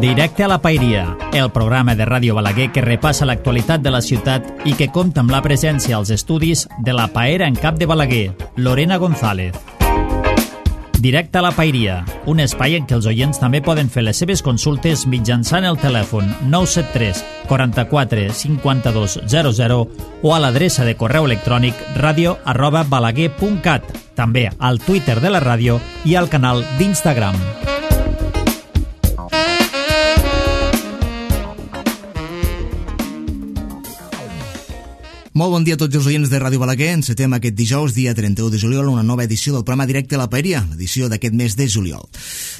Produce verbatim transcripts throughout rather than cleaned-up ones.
Directe a la Paeria, el programa de Ràdio Balaguer que repassa l'actualitat de la ciutat i que compta amb la presència als estudis de la paera en cap de Balaguer, Lorena González. Directe a la Paeria, un espai en què els oients també poden fer les seves consultes mitjançant el telèfon nou set tres, quaranta-quatre, cinquanta-dos, zero zero o a l'adreça de correu electrònic radio arroba balaguer punt cat, també al Twitter de la ràdio i al canal d'Instagram. Molt bon dia a tots els oients de Ràdio Balaguer. Encetem aquest dijous, dia trenta-u de juliol, una nova edició del programa Directe a la Paeria, l'edició d'aquest mes de juliol.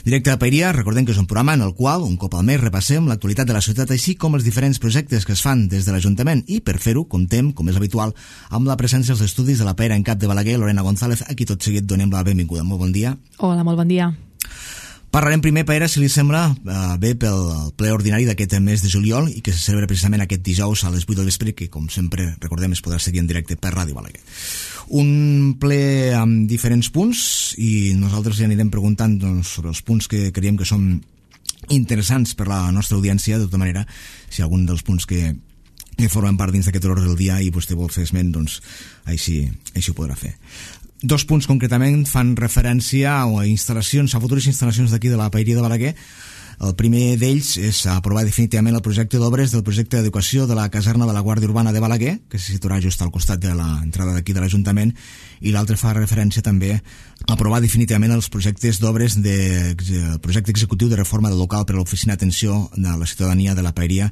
Directe a la Paeria, recordem que és un programa en el qual, un cop al mes, repassem l'actualitat de la ciutat, així com els diferents projectes que es fan des de l'Ajuntament, i per fer-ho, comptem, com és habitual, amb la presència als estudis de la paera en cap de Balaguer, Lorena González, a qui tot seguit donem la benvinguda. Molt bon dia. Hola, molt bon dia. Parlarem primer, paera, si li sembla, eh, bé pel ple ordinari d'aquest mes de juliol i que se celebra precisament aquest dijous a les vuit del vespre, que com sempre recordem es podrà seguir en directe per Ràdio Balaguer. Un ple amb diferents punts i nosaltres ja anirem preguntant doncs, sobre els punts que creiem que són interessants per la nostra audiència. De tota manera, si algun dels punts que, que formen part dins d'aquest ordre del dia i vostè vol fer esment, doncs així, així ho podrà fer. Dos punts concretament fan referència a instal·lacions, a futures instal·lacions d'aquí de la Paeria de Balaguer. El primer d'ells és aprovar definitivament el projecte d'obres del projecte d'educació de la caserna de la Guàrdia Urbana de Balaguer, que se situarà just al costat de l'entrada d'aquí de l'Ajuntament, i l'altre fa referència també a aprovar definitivament els projectes d'obres del projecte executiu de reforma del local per a l'oficina d'atenció de la ciutadania de la Paeria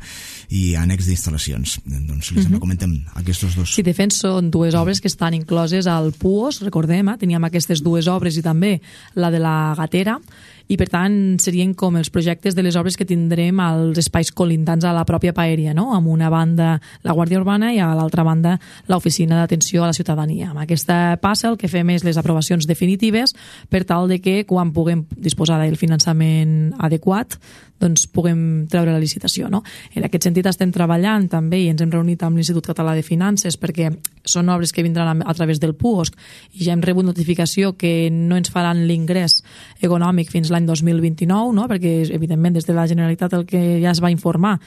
i annex d'instal·lacions. Doncs si li sembla, comentem aquests dos. Sí, de fet són dues obres que estan incloses al P U O S, recordem, eh? teníem aquestes dues obres i també la de la gatera, i per tant serien com els projectes de les obres que tindrem als espais colindants a la pròpia Paeria, no? Amb una banda la Guàrdia Urbana i a l'altra banda l'Oficina d'Atenció a la Ciutadania. Amb aquesta passa el que fem és les aprovacions definitives per tal de que quan puguem disposar del finançament adequat doncs puguem treure la licitació, no? En aquest sentit estem treballant també i ens hem reunit amb l'Institut Català de Finances perquè són obres que vindran a través del P U O S i ja hem rebut notificació que no ens faran l'ingrés econòmic fins l'any dos mil vint-i-nou, no? Perquè evidentment des de la Generalitat el que ja es va informar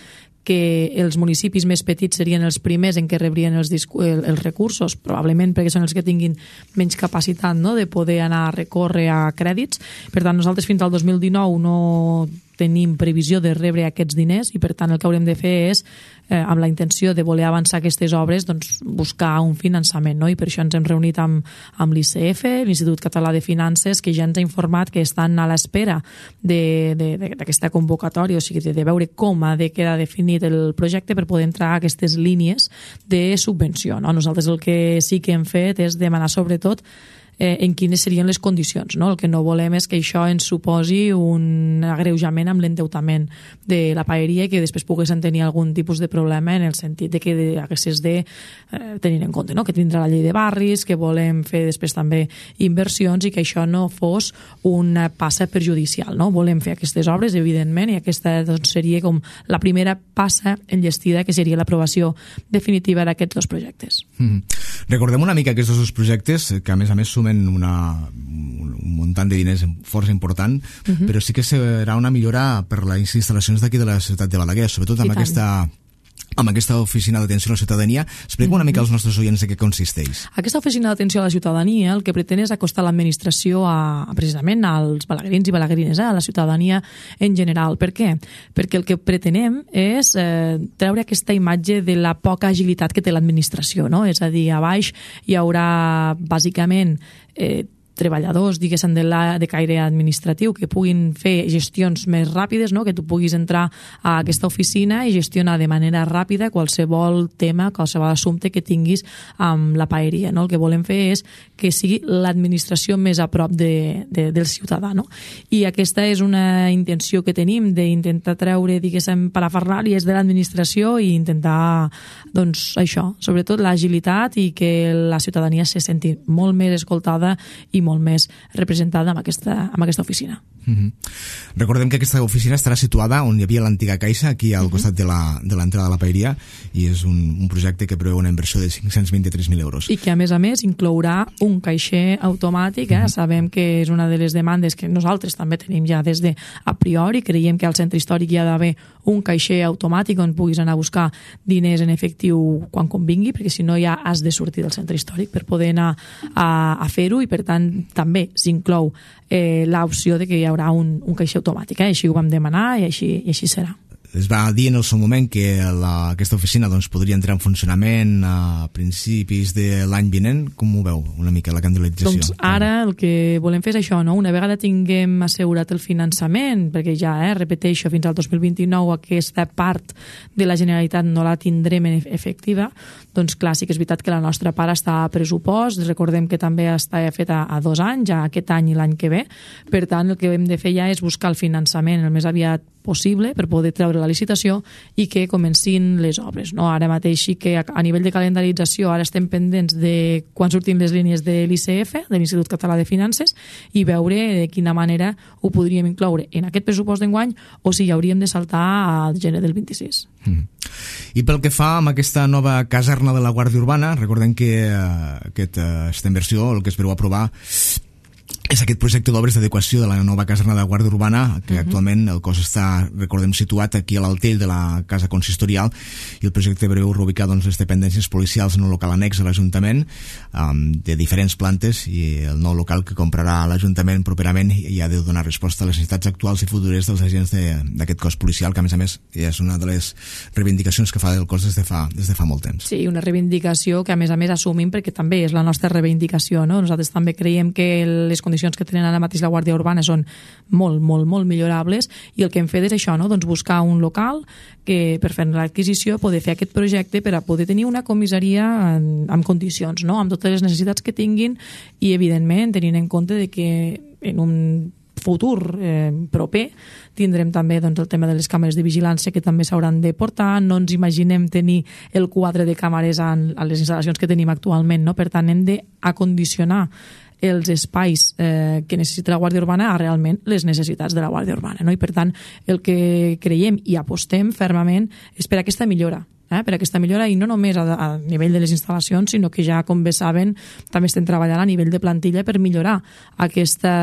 que els municipis més petits serien els primers en què rebrien els, els recursos, probablement perquè són els que tinguin menys capacitat, no?, de poder anar a recórrer a crèdits. Per tant, nosaltres fins al dos mil dinou no tenim previsió de rebre aquests diners i per tant el que haurem de fer és, eh, amb la intenció de voler avançar aquestes obres, doncs buscar un finançament, no? I per això ens hem reunit amb, amb l'I C F, l'Institut Català de Finances, que ja ens ha informat que estan a l'espera d'aquesta convocatòria, o sigui, de, de veure com ha de quedar definit el projecte per poder entrar a aquestes línies de subvenció, no? Nosaltres el que sí que hem fet és demanar sobretot Eh, en quines serien les condicions, no? El que no volem és que això ens suposi un agreujament amb l'endeutament de la Paeria i que després poguessin tenir algun tipus de problema en el sentit de que haguessis de eh, tenir en compte, no?, que tindrà la llei de barris, que volem fer després també inversions i que això no fos una passa perjudicial, no? Volem fer aquestes obres, evidentment, i aquesta doncs, seria com la primera passa enllestida, que seria l'aprovació definitiva d'aquests dos projectes. Mm-hmm. Recordem una mica aquests dos projectes, que a més a més sumen Una, un muntant de diners força important, uh-huh. però sí que serà una millora per les instal·lacions d'aquí de la ciutat de Balaguer, sobretot amb aquesta amb aquesta oficina d'atenció a la ciutadania. Explica una mica als nostres oients de què consisteix. Aquesta oficina d'atenció a la ciutadania el que pretén és acostar l'administració a, precisament als balaguerins i balaguerines, eh, a la ciutadania en general. Per què? Perquè el que pretenem és eh, treure aquesta imatge de la poca agilitat que té l'administració, no? És a dir, a baix hi haurà bàsicament eh, treballadors, diguéssim, de, la, de caire administratiu que puguin fer gestions més ràpides, no? Que tu puguis entrar a aquesta oficina i gestionar de manera ràpida qualsevol tema, qualsevol assumpte que tinguis amb la Paeria, no? El que volem fer és que sigui l'administració més a prop de, de, del ciutadà, no? I aquesta és una intenció que tenim d'intentar treure, diguéssim, parafernàlies de l'administració i intentar, doncs, això, sobretot l'agilitat i que la ciutadania se senti molt més escoltada i molt més representada amb aquesta, amb aquesta oficina. Mm-hmm. Recordem que aquesta oficina estarà situada on hi havia l'antiga caixa, aquí al mm-hmm. costat de la, de l'entrada de la paeria, i és un, un projecte que preveu una inversió de cinc-cents vint-i-tres mil euros. I que a més a més inclourà un caixer automàtic, eh? Mm-hmm. Sabem que és una de les demandes que nosaltres també tenim ja des de a priori, creiem que al centre històric hi ha d'haver un caixer automàtic on puguis anar a buscar diners en efectiu quan convingui, perquè si no ja has de sortir del centre històric per poder anar a, a fer-ho, i per tant també s'inclou eh, l'opció de que hi haurà un, un caixer automàtic, eh? Així ho vam demanar i així, i així serà. Es va dir en el seu moment que la, aquesta oficina doncs, podria entrar en funcionament a principis de l'any vinent. Com ho veu una mica la candidatització? Doncs ara el que volem fer és això, no? Una vegada tinguem assegurat el finançament, perquè ja, eh, repeteixo, fins al dos mil vint-i-nou aquesta part de la Generalitat no la tindrem efectiva, doncs clar, sí que és veritat que la nostra part està a pressupost, recordem que també està feta a dos anys, ja aquest any i l'any que ve, per tant el que hem de fer ja és buscar el finançament el més aviat possible per poder treure la licitació i que comencin les obres, no? Ara mateix sí que a nivell de calendarització ara estem pendents de quan surtin les línies de l'I C F, de l'Institut Català de Finances, i veure de quina manera ho podríem incloure en aquest pressupost d'enguany o si ja hauríem de saltar al gener del vint-i-sis. Mm. I pel que fa amb aquesta nova caserna de la Guàrdia Urbana, recordem que uh, aquesta inversió, el que es preveu aprovar és aquest projecte d'obres d'adequació de la nova caserna de la Guàrdia Urbana, que uh-huh. actualment el cos està, recordem, situat aquí a l'Altell de la casa consistorial, i el projecte preveu reubicar doncs, les dependències policials en un local annex a l'Ajuntament, um, de diferents plantes, i el nou local que comprarà l'Ajuntament properament i ha de donar resposta a les necessitats actuals i futures dels agents d'aquest cos policial, que a més a més és una de les reivindicacions que fa el cos des de fa, des de fa molt temps. Sí, una reivindicació que a més a més assumim perquè també és la nostra reivindicació, no? Nosaltres també creiem que les condicions que tenen ara mateix la Guàrdia Urbana són molt, molt, molt millorables, i el que hem fet és això, no? Doncs buscar un local que per fer l'adquisició poder fer aquest projecte per a poder tenir una comissaria en, en condicions, no? Amb totes les necessitats que tinguin, i evidentment tenint en compte de que en un futur eh, proper tindrem també doncs, el tema de les càmeres de vigilància que també s'hauran de portar. No ens imaginem tenir el quadre de càmeres en, en les instal·lacions que tenim actualment, no? Per tant hem d'acondicionar els espais eh, que necessita la Guàrdia Urbana a realment les necessitats de la Guàrdia Urbana, no? I per tant el que creiem i apostem fermament és per aquesta millora, eh? per aquesta millora, i no només a, a nivell de les instal·lacions, sinó que ja, com bé saben, també estem treballant a nivell de plantilla per millorar aquesta,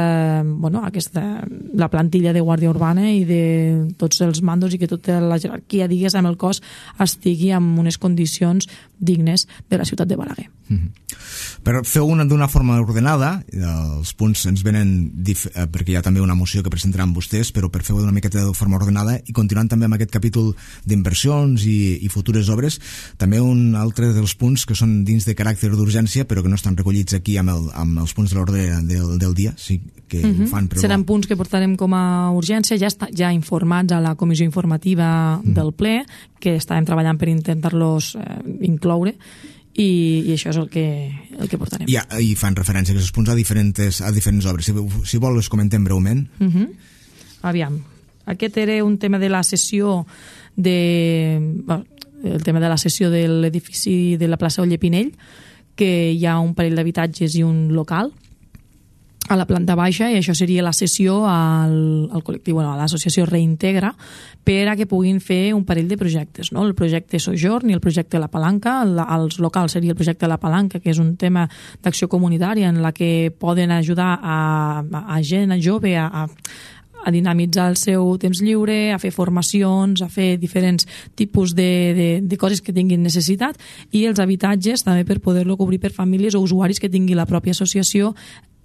bueno, aquesta, la plantilla de Guàrdia Urbana i de tots els mandos, i que tota la jerarquia, digues, amb el cos estigui en unes condicions dignes de la ciutat de Balaguer. Mm-hmm. Però feu una d'una forma ordenada, els punts ens venen dif- eh, perquè hi ha també una moció que presentaran vostès, però per fer-ho d'una miqueta de forma ordenada, i continuant també amb aquest capítol d'inversions i, i futures obres, també un altre dels punts que són dins de caràcter d'urgència però que no estan recollits aquí amb, el, amb els punts de l'ordre del, del dia, sí que mm-hmm. ho fan, però... Seran punts que portarem com a urgència, ja, està, ja informats a la comissió informativa mm. del ple, que estàvem treballant per intentar-los eh, incloure, I, i això és el que, el que portarem. Ja, i fan referència a aquests punts a diferents, a diferents obres. Si, si vol, els comentem breument. Uh-huh. Aviam, aquest era un tema de la sessió de... Bueno, el tema de la sessió de l'edifici de la plaça Oller Pinell, que hi ha un parell d'habitatges i un local a la planta baixa, i això seria la cessió al, al col·lectiu, bueno, a l'associació Reintegra, per a que puguin fer un parell de projectes, no? El projecte Sojorn i el projecte La Palanca. El, els locals seria el projecte La Palanca, que és un tema d'acció comunitària en la que poden ajudar a, a, a gent, a jove, a, a a dinamitzar el seu temps lliure, a fer formacions, a fer diferents tipus de, de, de coses que tinguin necessitat, i els habitatges també per poder-lo cobrir per famílies o usuaris que tingui la pròpia associació,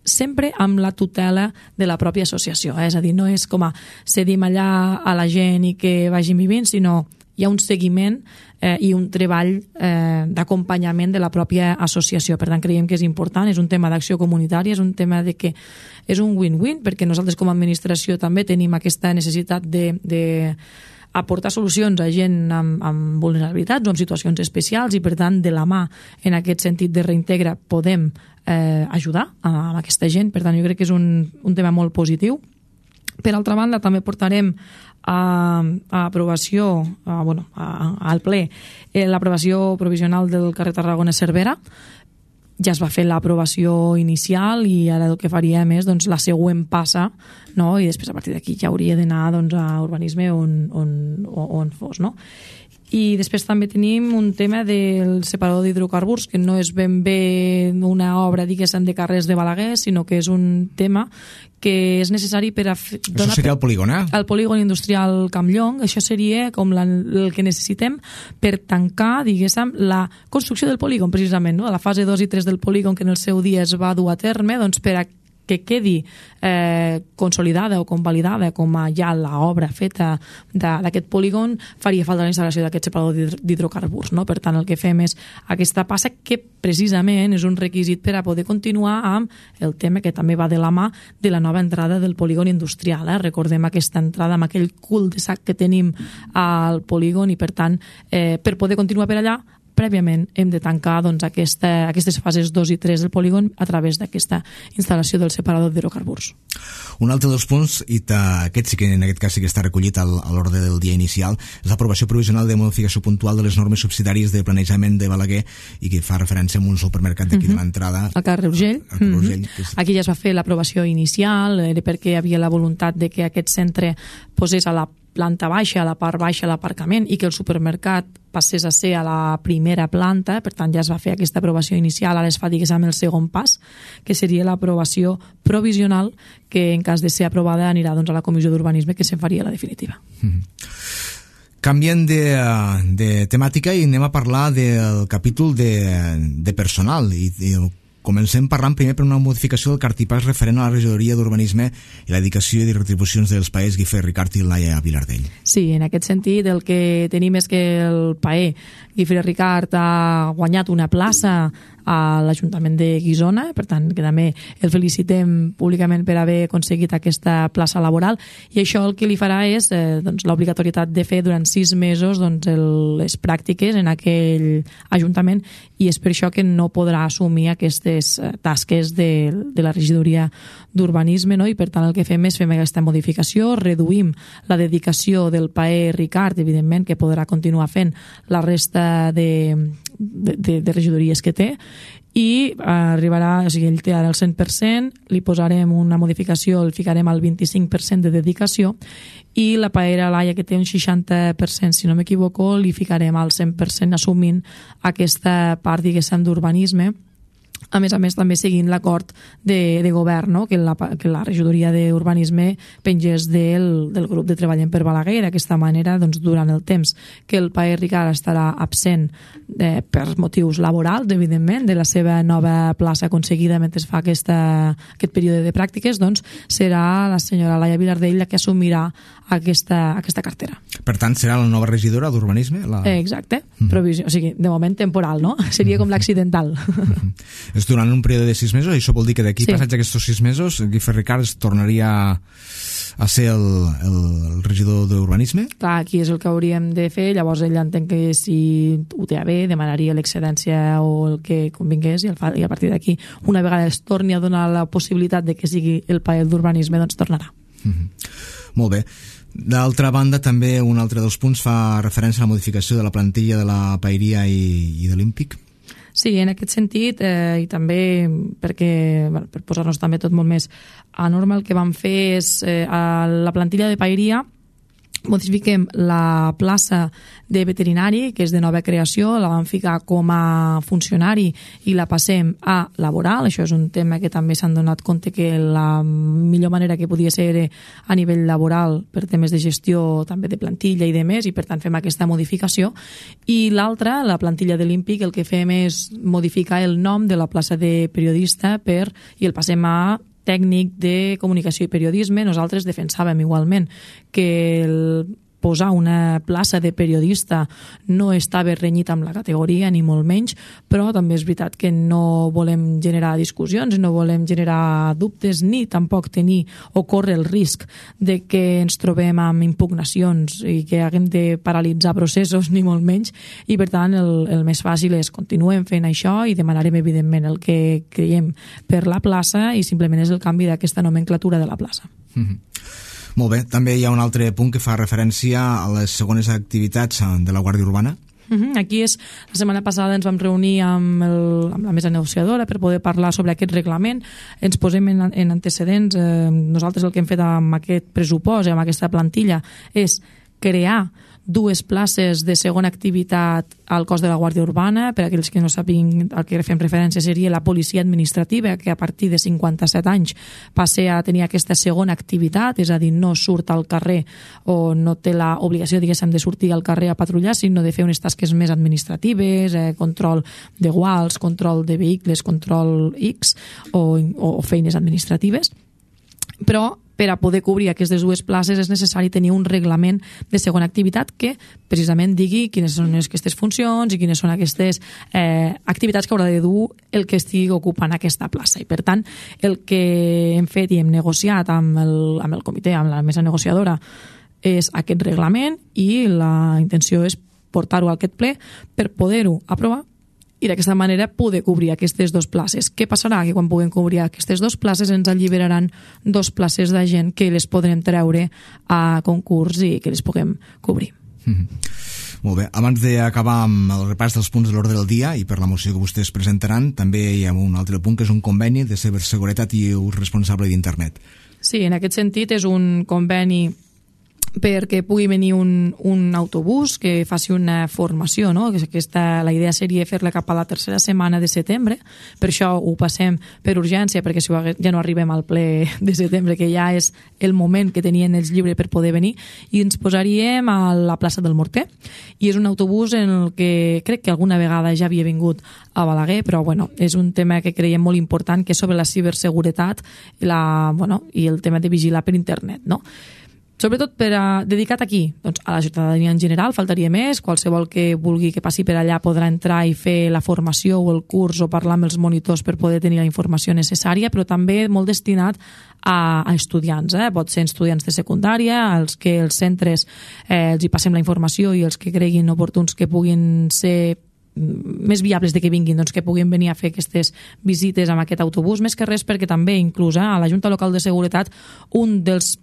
sempre amb la tutela de la pròpia associació. Eh? És a dir, no és com a cedim allà a la gent i que vagin vivint, sinó hi ha un seguiment eh, i un treball eh, d'acompanyament de la pròpia associació. Per tant, creiem que és important, és un tema d'acció comunitària, és un tema de que és un win-win, perquè nosaltres com a administració també tenim aquesta necessitat de, de aportar solucions a gent amb, amb vulnerabilitats o amb situacions especials, i per tant, de la mà, en aquest sentit de Reintegra, podem eh, ajudar a, a aquesta gent. Per tant, jo crec que és un, un tema molt positiu. Per altra banda, també portarem a, a aprovació, a, bueno, a, al ple, eh, l'aprovació provisional del carrer Tarragona-Cervera, ja es va fer l'aprovació inicial i ara el que faríem és doncs, la següent passa, no? I després a partir d'aquí ja hauria d'anar doncs, a urbanisme on, on, on fos, no? I després també tenim un tema del separador d'hidrocarburs, que no és ben bé una obra, diguéssim, de carrers de Balaguer, sinó que és un tema que és necessari per a... Això seria el polígon, eh? El polígon industrial Campllong. Això seria com la, el que necessitem per tancar, diguéssim, la construcció del polígon, precisament, no? A la fase dos i tres del polígon, que en el seu dia es va dur a terme, doncs per a que quedi eh, consolidada o convalidada com a ja l'obra feta d'aquest polígon, faria falta la instal·lació d'aquest separador d'hidrocarburs, no? Per tant, el que fem és aquesta passa que precisament és un requisit per a poder continuar amb el tema que també va de la mà de la nova entrada del polígon industrial. Eh? Recordem aquesta entrada amb aquell cul de sac que tenim al polígon i, per tant, eh, per poder continuar per allà, prèviament hem de tancar doncs, aquesta, aquestes fases dos i tres del polígon a través d'aquesta instal·lació del separador d'hidrocarburs. Un altre dels punts, i aquest sí que en aquest cas sí que està recollit al, a l'ordre del dia inicial, és l'aprovació provisional de modificació puntual de les normes subsidiàries de planejament de Balaguer i que fa referència a un supermercat d'aquí uh -huh. de l'entrada. Al carrer Urgell. Al carrer Urgell. Uh -huh. és... Aquí ja es va fer l'aprovació inicial, era perquè hi havia la voluntat de que aquest centre posés a la planta baixa, a la part baixa l'aparcament i que el supermercat passés a ser a la primera planta, per tant ja es va fer aquesta aprovació inicial, ara es fa, diguéssim, el segon pas, que seria l'aprovació provisional, que en cas de ser aprovada anirà doncs, a la Comissió d'Urbanisme, que se'n faria la definitiva. Mm-hmm. Canviem de, de temàtica i anem a parlar del capítol de, de personal i, i comencem parlant primer per una modificació del cartipàs referent a la regidoria d'urbanisme i la dedicació i retribucions dels paers Guifré Ricart i Laia Vilardell. Sí, en aquest sentit el que tenim és que el paer Guifré Ricart ha guanyat una plaça a l'Ajuntament de Guissona, per tant que també el felicitem públicament per haver aconseguit aquesta plaça laboral, i això el que li farà és eh, doncs, l'obligatorietat de fer durant sis mesos doncs, el, les pràctiques en aquell Ajuntament, i és per això que no podrà assumir aquestes tasques de, de la regidoria d'urbanisme, no? I per tant el que fem és fem aquesta modificació, reduïm la dedicació del paer Ricart, evidentment que podrà continuar fent la resta de, de, de, de regidories que té, i arribarà, o sigui, ell té ara el cent per cent, li posarem una modificació, el ficarem al vint-i-cinc per cent de dedicació, i la paera Laia, que té un seixanta per cent, si no m'equivoco, li ficarem al cent per cent assumint aquesta part, diguéssim, d'urbanisme, a més a més també seguint l'acord de, de govern, no? que, la, que la regidoria d'urbanisme pengés del, del grup de Treballem per Balaguer. D'aquesta manera, doncs, durant el temps que el paer Ricart estarà absent eh, per motius laborals, evidentment, de la seva nova plaça aconseguida mentre es fa aquesta, aquest període de pràctiques, doncs serà la senyora Laia Vilardell la que assumirà aquesta, aquesta cartera. Per tant, serà la nova regidora d'urbanisme? La... Exacte, mm. Provisió, o sigui, de moment temporal, no? Seria com l'accidental. És durant un període de sis mesos, i això vol dir que d'aquí sí. Passats aquests sis mesos Guifré Ricart es tornaria a ser el, el, el regidor d'urbanisme? Clar, aquí és el que hauríem de fer, llavors ell entén que si ho té a bé demanaria l'excedència o el que convingués, i, el fa, i a partir d'aquí, una vegada es torni a donar la possibilitat de que sigui el paer d'urbanisme, doncs tornarà. Mm-hmm. Molt bé. D'altra banda, també un altre dels punts fa referència a la modificació de la plantilla de la Paeria i, i de l'Ímpic. Sí, en aquest sentit, eh, i també perquè, bueno, per posar-nos també tot molt més a norma, el que vam fer és eh, a la plantilla de Paeria modifiquem la plaça de veterinari, que és de nova creació, la vam ficar com a funcionari i la passem a laboral. Això és un tema que també s'han donat compte que la millor manera que podia ser a nivell laboral per temes de gestió també de plantilla i de més, i per tant fem aquesta modificació. I l'altra, la plantilla de l'Ímpic, el que fem és modificar el nom de la plaça de periodista per, i el passem a tècnic de comunicació i periodisme. Nosaltres defensàvem igualment que el posar una plaça de periodista no estava renyit amb la categoria, ni molt menys, però també és veritat que no volem generar discussions, no volem generar dubtes, ni tampoc tenir o córrer el risc de que ens trobem amb impugnacions i que haguem de paralitzar processos, ni molt menys, i per tant el, el més fàcil és continuem fent això i demanarem evidentment el que creiem per la plaça, i simplement és el canvi d'aquesta nomenclatura de la plaça. Mm-hmm. Molt bé, també hi ha un altre punt que fa referència a les segones activitats de la Guàrdia Urbana. Uh-huh. Aquí és, la setmana passada ens vam reunir amb, el, amb la mesa negociadora per poder parlar sobre aquest reglament. Ens posem en, en antecedents. Eh, nosaltres el que hem fet amb aquest pressupost i amb aquesta plantilla és crear dues places de segona activitat al cos de la Guàrdia Urbana. Per aquells que no sàpiguen, al que fem referència seria la policia administrativa, que a partir de cinquanta-set anys passa a tenir aquesta segona activitat, és a dir, no surt al carrer o no té l'obligació, diguéssim, de sortir al carrer a patrullar, sinó de fer unes tasques més administratives, eh, control de guals, control de vehicles, control X o, o, o feines administratives. Però per a poder cobrir aquestes dues places és necessari tenir un reglament de segona activitat que precisament digui quines són aquestes funcions i quines són aquestes eh, activitats que haurà de dur el que estigui ocupant aquesta plaça. I per tant, el que hem fet i hem negociat amb el, amb el comitè, amb la mesa negociadora, és aquest reglament i la intenció és portar-ho a aquest ple per poder-ho aprovar i d'aquesta manera poder cobrir aquestes dues places. Què passarà? Que quan puguem cobrir aquestes dues places ens alliberaran dues places de gent que les podrem treure a concurs i que les puguem cobrir. Mm-hmm. Molt bé. Abans d'acabar amb el repàs dels punts de l'ordre del dia i per la moció que vostès presentaran, també hi ha un altre punt que és un conveni de ciberseguretat i ús responsable d'internet. Sí, en aquest sentit és un conveni perquè pugui venir un, un autobús que faci una formació, no? Aquesta, la idea seria fer-la cap a la tercera setmana de setembre, per això ho passem per urgència, perquè si ja no arribem al ple de setembre, que ja és el moment que tenien ells lliure per poder venir, i ens posaríem a la plaça del Morter, i és un autobús en el que crec que alguna vegada ja havia vingut a Balaguer, però bueno, és un tema que creiem molt important, que és sobre la ciberseguretat la, bueno, i el tema de vigilar per internet, no? Sobretot per a, dedicat aquí, doncs a la ciutadania en general, faltaria més, qualsevol que vulgui que passi per allà podrà entrar i fer la formació o el curs o parlar amb els monitors per poder tenir la informació necessària, però també molt destinat a, a estudiants, eh? Pot ser estudiants de secundària, als que els centres eh, els hi passem la informació i els que creguin oportuns que puguin ser més viables de que vinguin, doncs que puguin venir a fer aquestes visites amb aquest autobús, més que res perquè també inclús eh, a la Junta Local de Seguretat un dels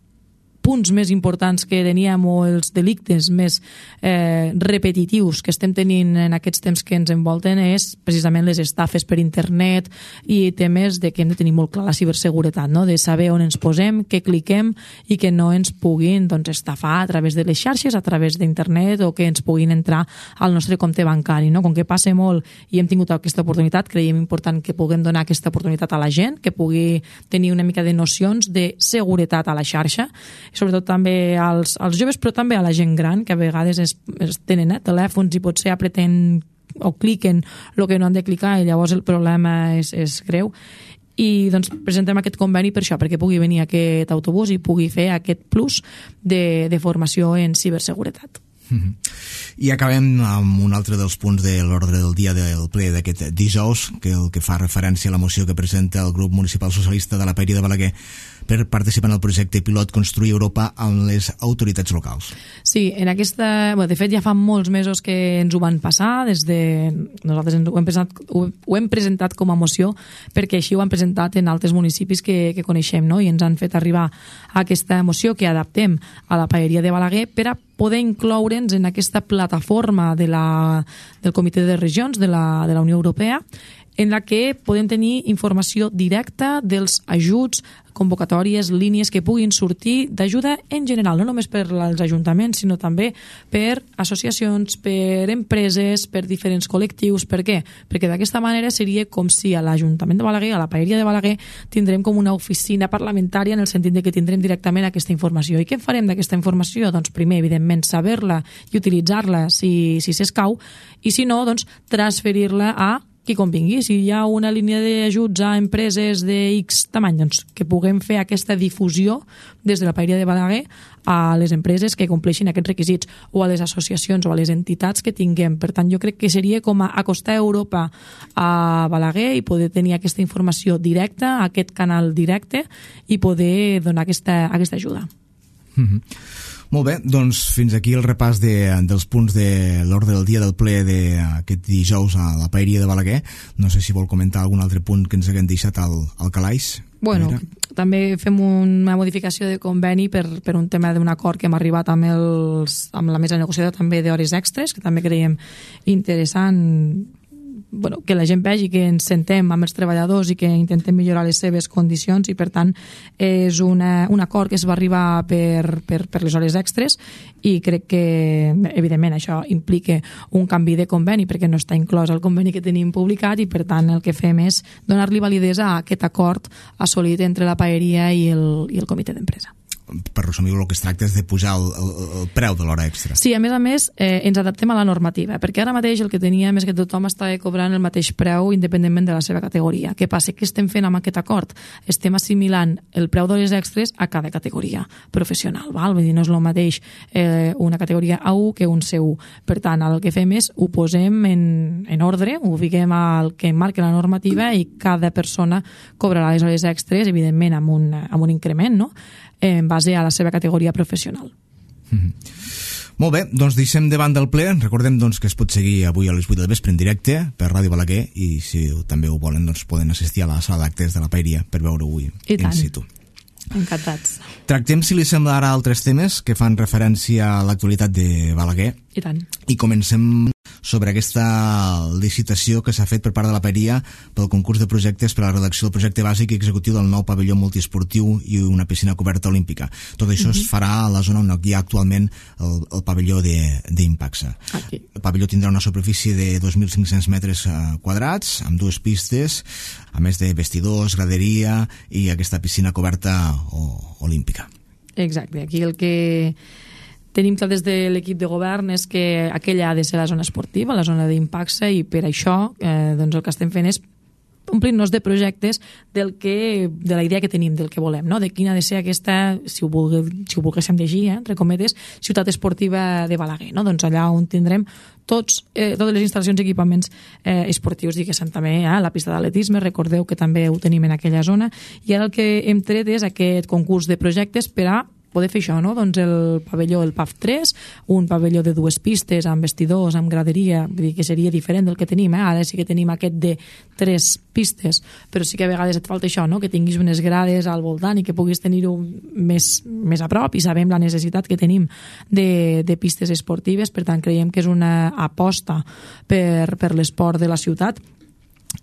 punts més importants que teníem o els delictes més eh, repetitius que estem tenint en aquests temps que ens envolten és precisament les estafes per internet i temes de que hem de tenir molt clar la ciberseguretat, no? De saber on ens posem, què cliquem i que no ens puguin doncs, estafar a través de les xarxes, a través d'internet o que ens puguin entrar al nostre compte bancari, no? Com que passa molt i hem tingut aquesta oportunitat, creiem important que puguem donar aquesta oportunitat a la gent, que pugui tenir una mica de nocions de seguretat a la xarxa, sobretot també als, als joves, però també a la gent gran, que a vegades es, es tenen eh, telèfons i potser apreten o cliquen el que no han de clicar i llavors el problema és, és greu. I doncs presentem aquest conveni per això, perquè pugui venir aquest autobús i pugui fer aquest plus de, de formació en ciberseguretat. Mm-hmm. I acabem amb un altre dels punts de l'ordre del dia del ple d'aquest dijous, que el que fa referència a la moció que presenta el grup municipal socialista de la Paeria de Balaguer per participar en el projecte pilot Construir Europa amb les autoritats locals. Sí, en aquesta... Bueno, de fet, ja fa molts mesos que ens ho van passar, des de... Nosaltres ho hem, presentat, ho, ho hem presentat com a moció, perquè així ho han presentat en altres municipis que, que coneixem, no? I ens han fet arribar a aquesta moció que adaptem a la Paeria de Balaguer per a poder incloure'ns en aquesta plataforma de la, del Comitè de Regions de la, de la Unió Europea, en la que podem tenir informació directa dels ajuts, convocatòries, línies que puguin sortir d'ajuda en general, no només per als ajuntaments, sinó també per associacions, per empreses, per diferents col·lectius. Per què? Perquè d'aquesta manera seria com si a l'Ajuntament de Balaguer, a la Paeria de Balaguer, tindrem com una oficina parlamentària en el sentit de que tindrem directament aquesta informació. I què farem d'aquesta informació? Doncs primer, evidentment, saber-la i utilitzar-la si, si s'escau, i si no, doncs transferir-la a qui convingui. Si hi ha una línia d'ajuts a empreses de X tamany, doncs que puguem fer aquesta difusió des de la Paeria de Balaguer a les empreses que compleixin aquests requisits o a les associacions o a les entitats que tinguem. Per tant, jo crec que seria com a acostar Europa a Balaguer i poder tenir aquesta informació directa, aquest canal directe i poder donar aquesta, aquesta ajuda. Mm-hmm. Molt bé, doncs fins aquí el repàs de, dels punts de l'ordre del dia del ple d'aquest dijous a la Paeria de Balaguer. No sé si vol comentar algun altre punt que ens haguem deixat al, al calaix. Bueno, també fem una modificació de conveni per, per un tema d'un acord que hem arribat amb, els, amb la mesa negociadora també d'hores extres, que també creiem interessant, bueno, que la gent vegi que ens sentem amb els treballadors i que intentem millorar les seves condicions, i per tant és una, un acord que es va arribar per, per, per les hores extres, i crec que evidentment això implica un canvi de conveni perquè no està inclòs el conveni que tenim publicat, i per tant el que fem és donar-li validesa a aquest acord assolit entre la Paeria i el, i el comitè d'empresa. Per resumir, el que es tracta és de pujar el, el, el preu de l'hora extra. Sí, a més a més eh, ens adaptem a la normativa, perquè ara mateix el que teníem és que tothom estava cobrant el mateix preu independentment de la seva categoria. Què passa? Què estem fent amb aquest acord? Estem assimilant el preu d'hores extres a cada categoria professional, val? Vull dir, no és el mateix eh, una categoria A u que un C u. Per tant, el que fem és ho posem en, en ordre, ho fiquem al que marca la normativa, i cada persona cobrarà les hores extres, evidentment amb un, amb un increment, no?, en base a la seva categoria professional. Mm-hmm. Molt bé, doncs deixem davant del ple. Recordem doncs, que es pot seguir avui a les vuit del vespre en directe per Ràdio Balaguer, i si també ho volen doncs, poden assistir a la sala d'actes de la Paeria per veure avui in situ. Encantats. Tractem, si li sembla, ara altres temes que fan referència a l'actualitat de Balaguer. I tant. I comencem sobre aquesta licitació que s'ha fet per part de la Paeria pel concurs de projectes per a la redacció del projecte bàsic i executiu del nou pavelló multiesportiu i una piscina coberta olímpica. Tot això uh-huh. es farà a la zona on hi ha actualment el, el pavelló d'Impaxa. El pavelló tindrà una superfície de dos mil cinc-cents metres quadrats, amb dues pistes, a més de vestidors, graderia i aquesta piscina coberta o, olímpica. Exacte, aquí el que tenim clar des de l'equip de govern és que aquella ha de ser la zona esportiva, la zona d'Impaxa, i per això eh, doncs el que estem fent és omplir-nos de projectes del que, de la idea que tenim, del que volem, no? De quina ha de ser aquesta, si ho, vulgui, si ho volguéssim llegir, eh, entre cometes, ciutat esportiva de Balaguer, no? Doncs allà on tindrem tots, eh, totes les instal·lacions i equipaments eh, esportius, diguéssim també, eh, la pista d'atletisme, recordeu que també ho tenim en aquella zona, i ara el que hem tret és aquest concurs de projectes per a poder fer això, no? Doncs el pavelló, el P A F tres, un pavelló de dues pistes, amb vestidors, amb graderia, vull dir que seria diferent del que tenim, eh? Ara sí que tenim aquest de tres pistes, però sí que a vegades et falta això, no? Que tinguis unes grades al voltant i que puguis tenir-ho més, més a prop, i sabem la necessitat que tenim de, de pistes esportives. Per tant, creiem que és una aposta per, per l'esport de la ciutat.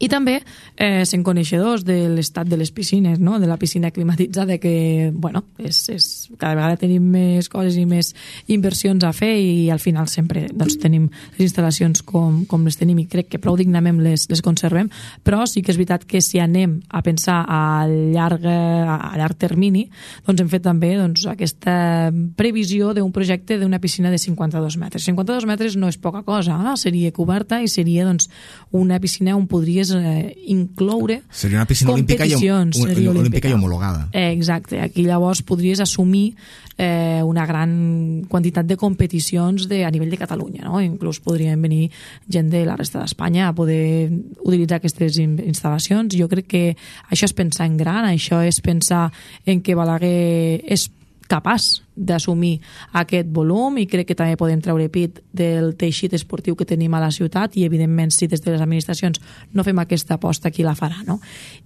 I també eh, sent coneixedors de l'estat de les piscines, no? De la piscina climatitzada, que bueno, és, és, cada vegada tenim més coses i més inversions a fer, i al final sempre doncs, tenim les instal·lacions com, com les tenim, i crec que prou dignament les, les conservem. Però sí que és veritat que si anem a pensar a llarg, a llarg termini, doncs hem fet també doncs, aquesta previsió d'un projecte d'una piscina de cinquanta-dos metres. cinquanta-dos metres no és poca cosa, eh? Seria coberta i seria doncs, una piscina on podria Eh, incloure seria una piscina olímpica i, olímpica. olímpica i homologada. Eh, exacte, aquí llavors podries assumir eh, una gran quantitat de competicions de, a nivell de Catalunya, no? Inclús podrien venir gent de la resta d'Espanya a poder utilitzar aquestes instal·lacions. Jo crec que això és pensar en gran, això és pensar en que Balaguer és capaç d'assumir aquest volum, i crec que també podem treure pit del teixit esportiu que tenim a la ciutat, i evidentment si des de les administracions no fem aquesta aposta, qui la farà, no?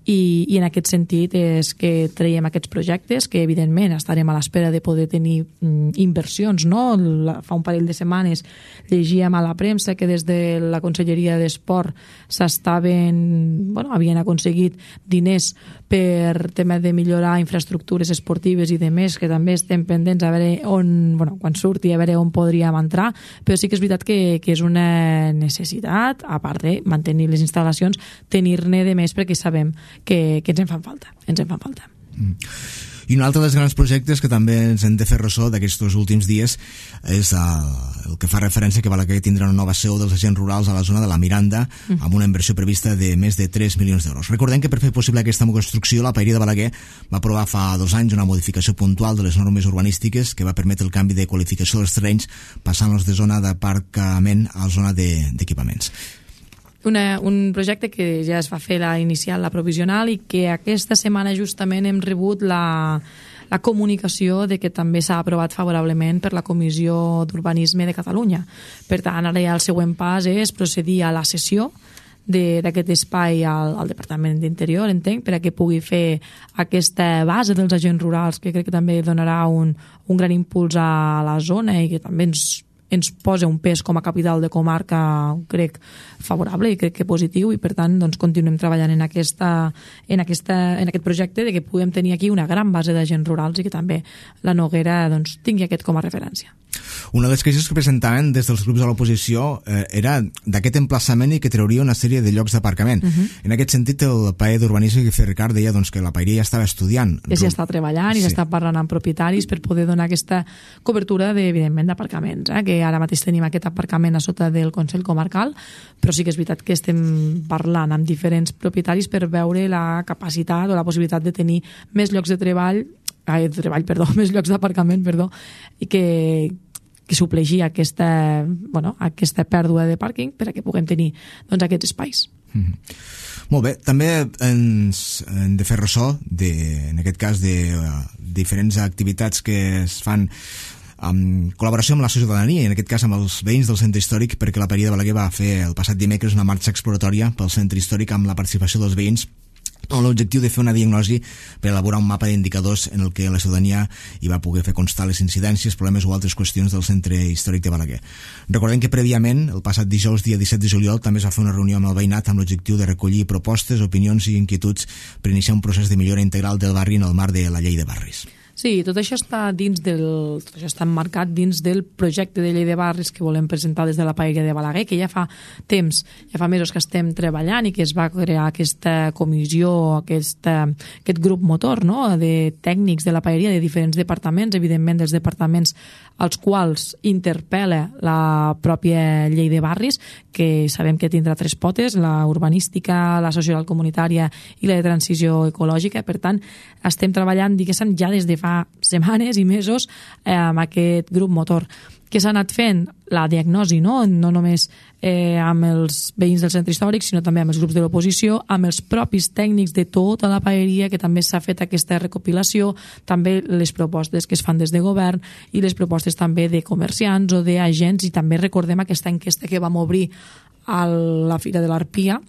I, i en aquest sentit és que traiem aquests projectes, que evidentment estarem a l'espera de poder tenir mm, inversions, no? La, fa un parell de setmanes llegíem a la premsa que des de la Conselleria d'Esport s'estaven, bueno, havien aconseguit diners per tema de millorar infraestructures esportives i de més, que també estem pendents a veure on, bueno, quan surti, a veure on podríem entrar, però sí que és veritat que, que és una necessitat, a part de mantenir les instal·lacions, tenir-ne de més, perquè sabem que, que ens en fan falta, ens en fan falta. Mm. I un altre dels grans projectes que també ens hem de fer ressò d'aquests últims dies és el, el que fa referència que Balaguer tindrà una nova seu dels agents rurals a la zona de la Miranda, mm. amb una inversió prevista de més de tres milions d'euros. Recordem que per fer possible aquesta construcció, la Paeria de Balaguer va aprovar fa dos anys una modificació puntual de les normes urbanístiques que va permetre el canvi de qualificació dels terrenys, passant-los de zona d'aparcament a zona d'equipaments. Una, un projecte que ja es va fer la inicial, la provisional, i que aquesta setmana justament hem rebut la, la comunicació de que també s'ha aprovat favorablement per la Comissió d'Urbanisme de Catalunya. Per tant, ara ja el següent pas és procedir a la cessió d'aquest espai al, al Departament d'Interior, entenc, per a que pugui fer aquesta base dels agents rurals, que crec que també donarà un, un gran impuls a la zona i que també ens ens posa un pes com a capital de comarca, crec, favorable i crec que positiu, i per tant doncs, continuem treballant en, aquesta, en, aquesta, en aquest projecte de que puguem tenir aquí una gran base d'agents rurals i que també la Noguera doncs, tingui aquest com a referència. Una de les queixes que presentaven des dels grups de l'oposició eh, era d'aquest emplaçament i que trauria una sèrie de llocs d'aparcament. Uh -huh. En aquest sentit, el paer d'Urbanisme que feia Ricard deia doncs, que la paeria ja estava estudiant. Ja s'hi està treballant i s'està sí. parlant amb propietaris per poder donar aquesta cobertura, de, evidentment, d'aparcaments, eh, que ara mateix tenim aquest aparcament a sota del Consell Comarcal, però sí que és veritat que estem parlant amb diferents propietaris per veure la capacitat o la possibilitat de tenir més llocs de treball, ai, de treball, perdó, més llocs d'aparcament, perdó, i que que supleixi aquesta, bueno, aquesta pèrdua de pàrquing per a que puguem tenir doncs, aquests espais. Mm-hmm. Molt bé, també ens hem de fer ressò, de, en aquest cas, de uh, diferents activitats que es fan en col·laboració amb la ciutadania, i en aquest cas amb els veïns del centre històric, perquè la paeria de Balaguer va fer el passat dimecres una marxa exploratòria pel centre històric amb la participació dels veïns, amb l'objectiu de fer una diagnosi per elaborar un mapa d'indicadors en el que la ciutadania hi va poder fer constar les incidències, problemes o altres qüestions del centre històric de Balaguer. Recordem que prèviament, el passat dijous, dia disset de juliol, també es va fer una reunió amb el veïnat amb l'objectiu de recollir propostes, opinions i inquietuds per iniciar un procés de millora integral del barri en el marc de la llei de barris. Sí, tot això està dins del, tot això està emmarcat dins del projecte de llei de barris que volem presentar des de la paeria de Balaguer, que ja fa temps, ja fa mesos que estem treballant i que es va crear aquesta comissió, aquesta, aquest grup motor, no?, de tècnics de la paeria de diferents departaments, evidentment dels departaments als quals interpel·la la pròpia llei de barris, que sabem que tindrà tres potes, la urbanística, la social comunitària i la de transició ecològica. Per tant, estem treballant, diguéssim, ja des de fa setmanes i mesos eh, amb aquest grup motor. Què s'ha anat fent? La diagnosi, no? No només eh, amb els veïns del centre històric, sinó també amb els grups de l'oposició, amb els propis tècnics de tota la paeria, que també s'ha fet aquesta recopilació, també les propostes que es fan des de govern i les propostes també de comerciants o d'agents, i també recordem aquesta enquesta que vam obrir a la Fira de l'Arpia,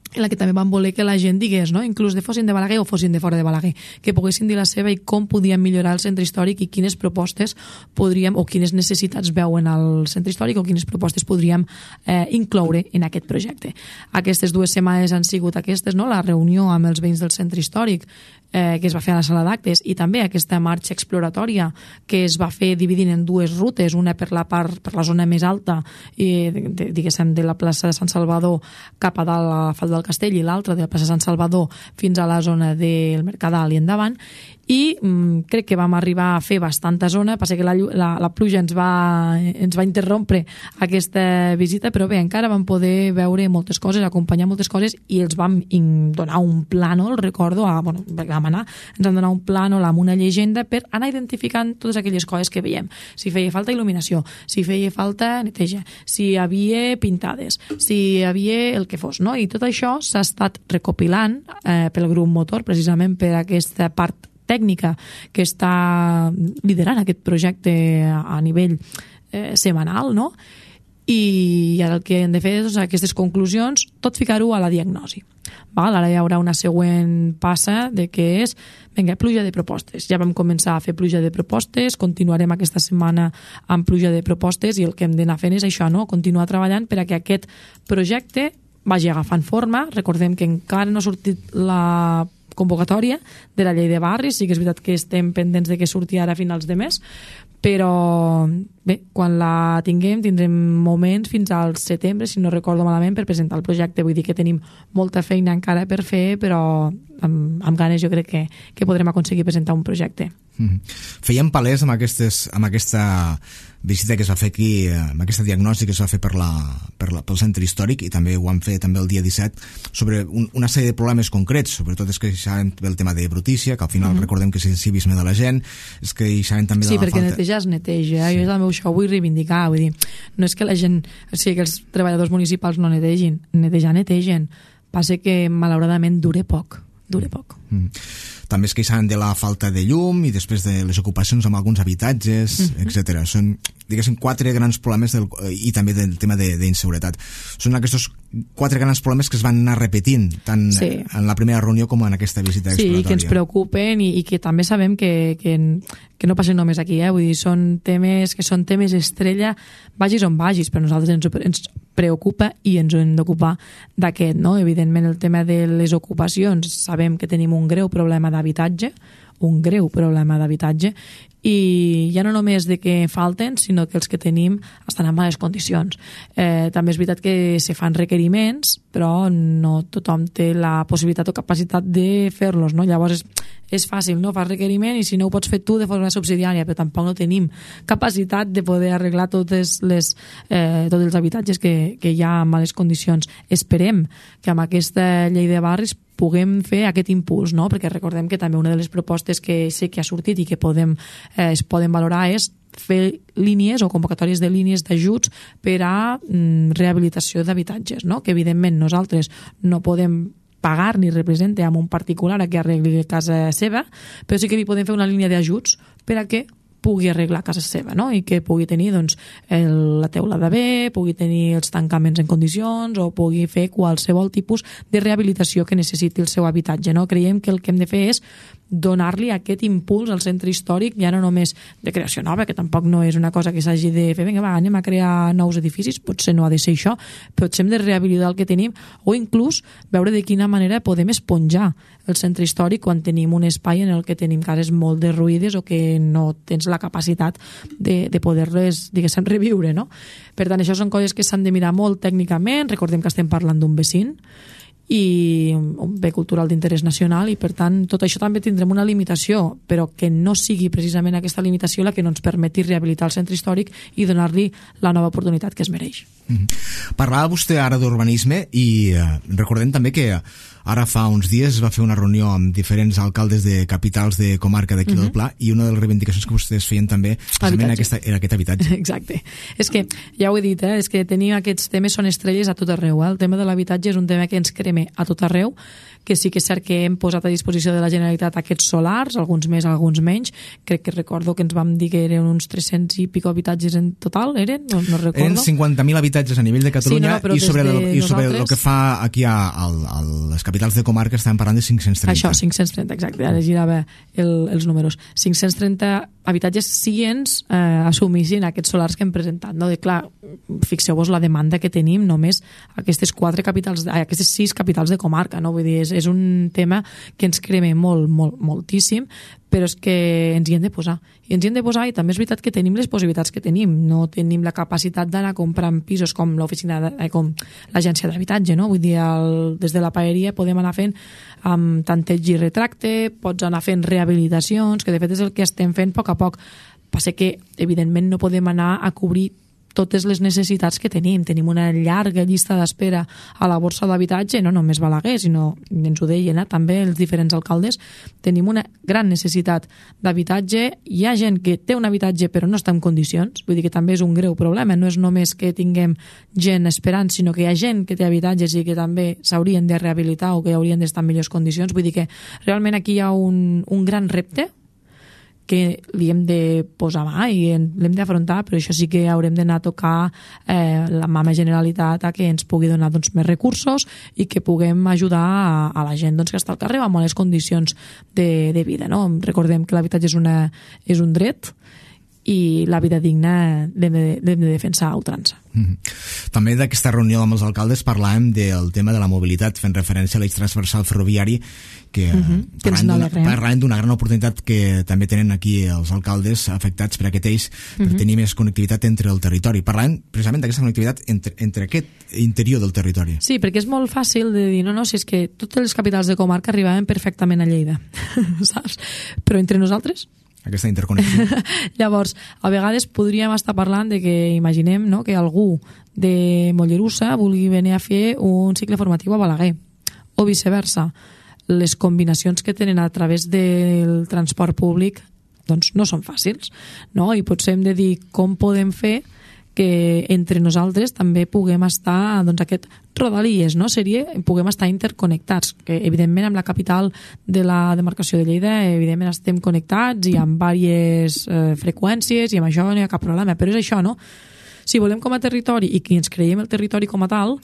en la que també van voler que la gent digués, no?, inclús de fossin de Balaguer o fossin de fora de Balaguer, que poguessin dir la seva i com podíem millorar el centre històric i quines propostes podríem, o quines necessitats veuen al centre històric, o quines propostes podríem eh, incloure en aquest projecte. Aquestes dues setmanes han sigut aquestes, no?, la reunió amb els veïns del centre històric, eh, que es va fer a la sala d'actes, i també aquesta marxa exploratòria que es va fer dividint en dues rutes, una per la part, per la zona més alta, i, de, diguéssim, de la plaça de Sant Salvador cap a dalt a la Fal del Castell, i l'altra de la plaça Sant Salvador fins a la zona del Mercadal i endavant, i mm, crec que vam arribar a fer bastanta zona. Passa que la, la, la pluja ens va, ens va interrompre aquesta visita, però bé, encara vam poder veure moltes coses, acompanyar moltes coses, i els vam donar un plànol, recordo, a, bueno, vam anar, ens vam donar un plànol amb una llegenda per anar identificant totes aquelles coses que veiem. Si feia falta il·luminació, si feia falta neteja, si hi havia pintades, si hi havia el que fos, no? I tot això s'ha estat recopilant eh, pel grup motor, precisament per aquesta part tècnica que està liderant aquest projecte a nivell eh, setmanal, no? I ara el que hem de fer és aquestes conclusions, tot ficar-ho a la diagnosi. Val? Ara hi haurà una següent passa de que és, vinga, pluja de propostes. Ja vam començar a fer pluja de propostes, continuarem aquesta setmana amb pluja de propostes, i el que hem d'anar fent és això, no?, continuar treballant per a que aquest projecte vagi agafant forma. Recordem que encara no ha sortit la convocatòria de la llei de barris, sí que és veritat que estem pendents de que surti ara a finals de mes, però bé, quan la tinguem tindrem moments fins al setembre, si no recordo malament, per presentar el projecte. Vull dir que tenim molta feina encara per fer, però amb, amb ganes jo crec que, que podrem aconseguir presentar un projecte. Mm-hmm. Fèiem palès amb, aquestes, amb aquesta visita que es va fer aquí, amb aquesta diagnosi que es va fer per la, per la, pel centre històric, i també ho vam fer també el dia disset, sobre un, una sèrie de problemes concrets. Sobretot és que hi sabem el tema de brutícia, que al final mm-hmm. recordem que és el civisme de la gent, és que hi sabem també de sí, la falta... Sí, perquè netejar es neteja, sí. Jo també això ho vull reivindicar, vull dir, no és que la gent, o sigui, que els treballadors municipals no netegin, netejar netegen, passa que malauradament dure poc. dure poc. Mm. També es queixen de la falta de llum i després de les ocupacions amb alguns habitatges, mm-hmm. etcètera. Són, diguéssim, quatre grans problemes del, i també del tema d'inseguretat. Són aquests quatre grans problemes que es van anar repetint tant sí. en la primera reunió com en aquesta visita sí, exploratòria. Sí, que ens preocupen i, i que també sabem que, que, que no passen només aquí, eh? Vull dir, són temes que són temes estrella, vagis on vagis, però nosaltres ens, ens preocupa i ens hem d'ocupar d'aquest, no? Evidentment el tema de les ocupacions, sabem que tenim un greu problema d'habitatge, un greu problema d'habitatge, i ja no només de que falten, sinó que els que tenim estan en males condicions. Eh, també és veritat que se fan requeriments, però no tothom té la possibilitat o capacitat de fer-los, no? Llavors és, és fàcil, no? Fas requeriment i si no ho pots fer tu de forma subsidiària, però tampoc no tenim capacitat de poder arreglar totes les, eh, tots els habitatges que, que hi ha en males condicions. Esperem que amb aquesta llei de barris puguem fer aquest impuls, no? Perquè recordem que també una de les propostes que sé que ha sortit i que podem, eh, es poden valorar és fer línies o convocatòries de línies d'ajuts per a mm, rehabilitació d'habitatges, no? Que evidentment nosaltres no podem pagar ni representar amb un particular a que arregli casa seva, però sí que li podem fer una línia d'ajuts per a que pugui arreglar casa seva, no? I que pugui tenir doncs, el, la teulada bé, pugui tenir els tancaments en condicions o pugui fer qualsevol tipus de rehabilitació que necessiti el seu habitatge, no? Creiem que el que hem de fer és donar-li aquest impuls al centre històric, ja no només de creació nova, que tampoc no és una cosa que s'hagi de fer, vinga, va, anem a crear nous edificis, potser no ha de ser això, potser hem de rehabilitar el que tenim, o inclús veure de quina manera podem esponjar el centre històric quan tenim un espai en el que tenim cases molt derruïdes o que no tens la capacitat de, de poder-les, diguéssim, reviure, no? Per tant, això són coses que s'han de mirar molt tècnicament, recordem que estem parlant d'un vecin, i un bé cultural d'interès nacional i per tant tot això també tindrem una limitació, però que no sigui precisament aquesta limitació la que no ens permeti rehabilitar el centre històric i donar-li la nova oportunitat que es mereix. Mm-hmm. Parlava vostè ara d'urbanisme i eh, recordem també que ara fa uns dies es va fer una reunió amb diferents alcaldes de capitals de comarca d'aquí mm-hmm. del Pla i una de les reivindicacions que vostès feien també precisament aquesta, era aquest habitatge. Exacte. És que, ja ho he dit, eh, és que tenim aquests temes, són estrelles a tot arreu. Eh? El tema de l'habitatge és un tema que ens crema a tot arreu, que sí que és cert que hem posat a disposició de la Generalitat aquests solars, alguns més, alguns menys. Crec que recordo que ens vam dir que eren uns tres-cents i pico habitatges en total, eren? No, no recordo. Eren cinquanta mil habitatges a nivell de Catalunya sí, no, no, i sobre el, i sobre el que fa aquí a, a, a les capitals de comarca estem parlant de cinc-cents trenta. Això, cinc-cents trenta, exacte, ara girava el, els números. cinc-cents trenta habitatges si ens eh, assumissin aquests solars que hem presentat, no? De, clar, fixeu-vos la demanda que tenim només aquestes quatre capitals, aquestes sis capitals de comarca, no? Vull dir, és, és un tema que ens crema molt, molt, moltíssim, però és que ens hi hem de posar. I ens hi hem de posar i també és veritat que tenim les possibilitats que tenim. No tenim la capacitat d'anar comprant pisos com l'oficina, eh, com l'agència d'habitatge, no? Vull dir, el, des de la paeria podem anar fent amb tanteig i retracte, pots anar fent rehabilitacions, que de fet és el que estem fent a poc a poc. Passa que, evidentment, no podem anar a cobrir totes les necessitats que tenim. Tenim una llarga llista d'espera a la borsa d'habitatge, no només Balaguer, sinó, ens ho deien, eh, també els diferents alcaldes, tenim una gran necessitat d'habitatge. Hi ha gent que té un habitatge però no està en condicions, vull dir que també és un greu problema, no és només que tinguem gent esperant, sinó que hi ha gent que té habitatges i que també s'haurien de rehabilitar o que haurien d'estar en millors condicions. Vull dir que realment aquí hi ha un, un gran repte que li hem de posar mà i l'hem d'afrontar, però això sí que haurem d'anar a tocar eh, la mama Generalitat a que ens pugui donar doncs, més recursos i que puguem ajudar a, a la gent doncs, que està al carrer amb bones condicions de, de vida. No? Recordem que l'habitatge és, una, és un dret i la vida digna l'hem de, de defensar a ultrança. Mm-hmm. També d'aquesta reunió amb els alcaldes parlàvem del tema de la mobilitat, fent referència a l'eix transversal ferroviari, que mm-hmm. parlàvem d'una gran oportunitat que també tenen aquí els alcaldes afectats per aquest eix, per mm-hmm. tenir més connectivitat entre el territori. Parlàvem precisament d'aquesta connectivitat entre, entre aquest interior del territori. Sí, perquè és molt fàcil de dir, no, no, si és que totes les capitals de comarca arribaven perfectament a Lleida, saps? Però entre nosaltres... aquesta interconnexió. Llavors, a vegades podríem estar parlant de que imaginem, no, que algú de Mollerussa vulgui venir a fer un cicle formatiu a Balaguer, o viceversa. Les combinacions que tenen a través del transport públic doncs no són fàcils, no? I potser hem de dir com podem fer que entre nosaltres també puguem estar, doncs aquest rodalies, no? Seria, puguem estar interconnectats, que evidentment amb la capital de la demarcació de Lleida evidentment estem connectats i amb diverses eh, freqüències i amb això no hi ha cap problema, però és això, no? Si volem com a territori i que ens creiem el territori com a tal,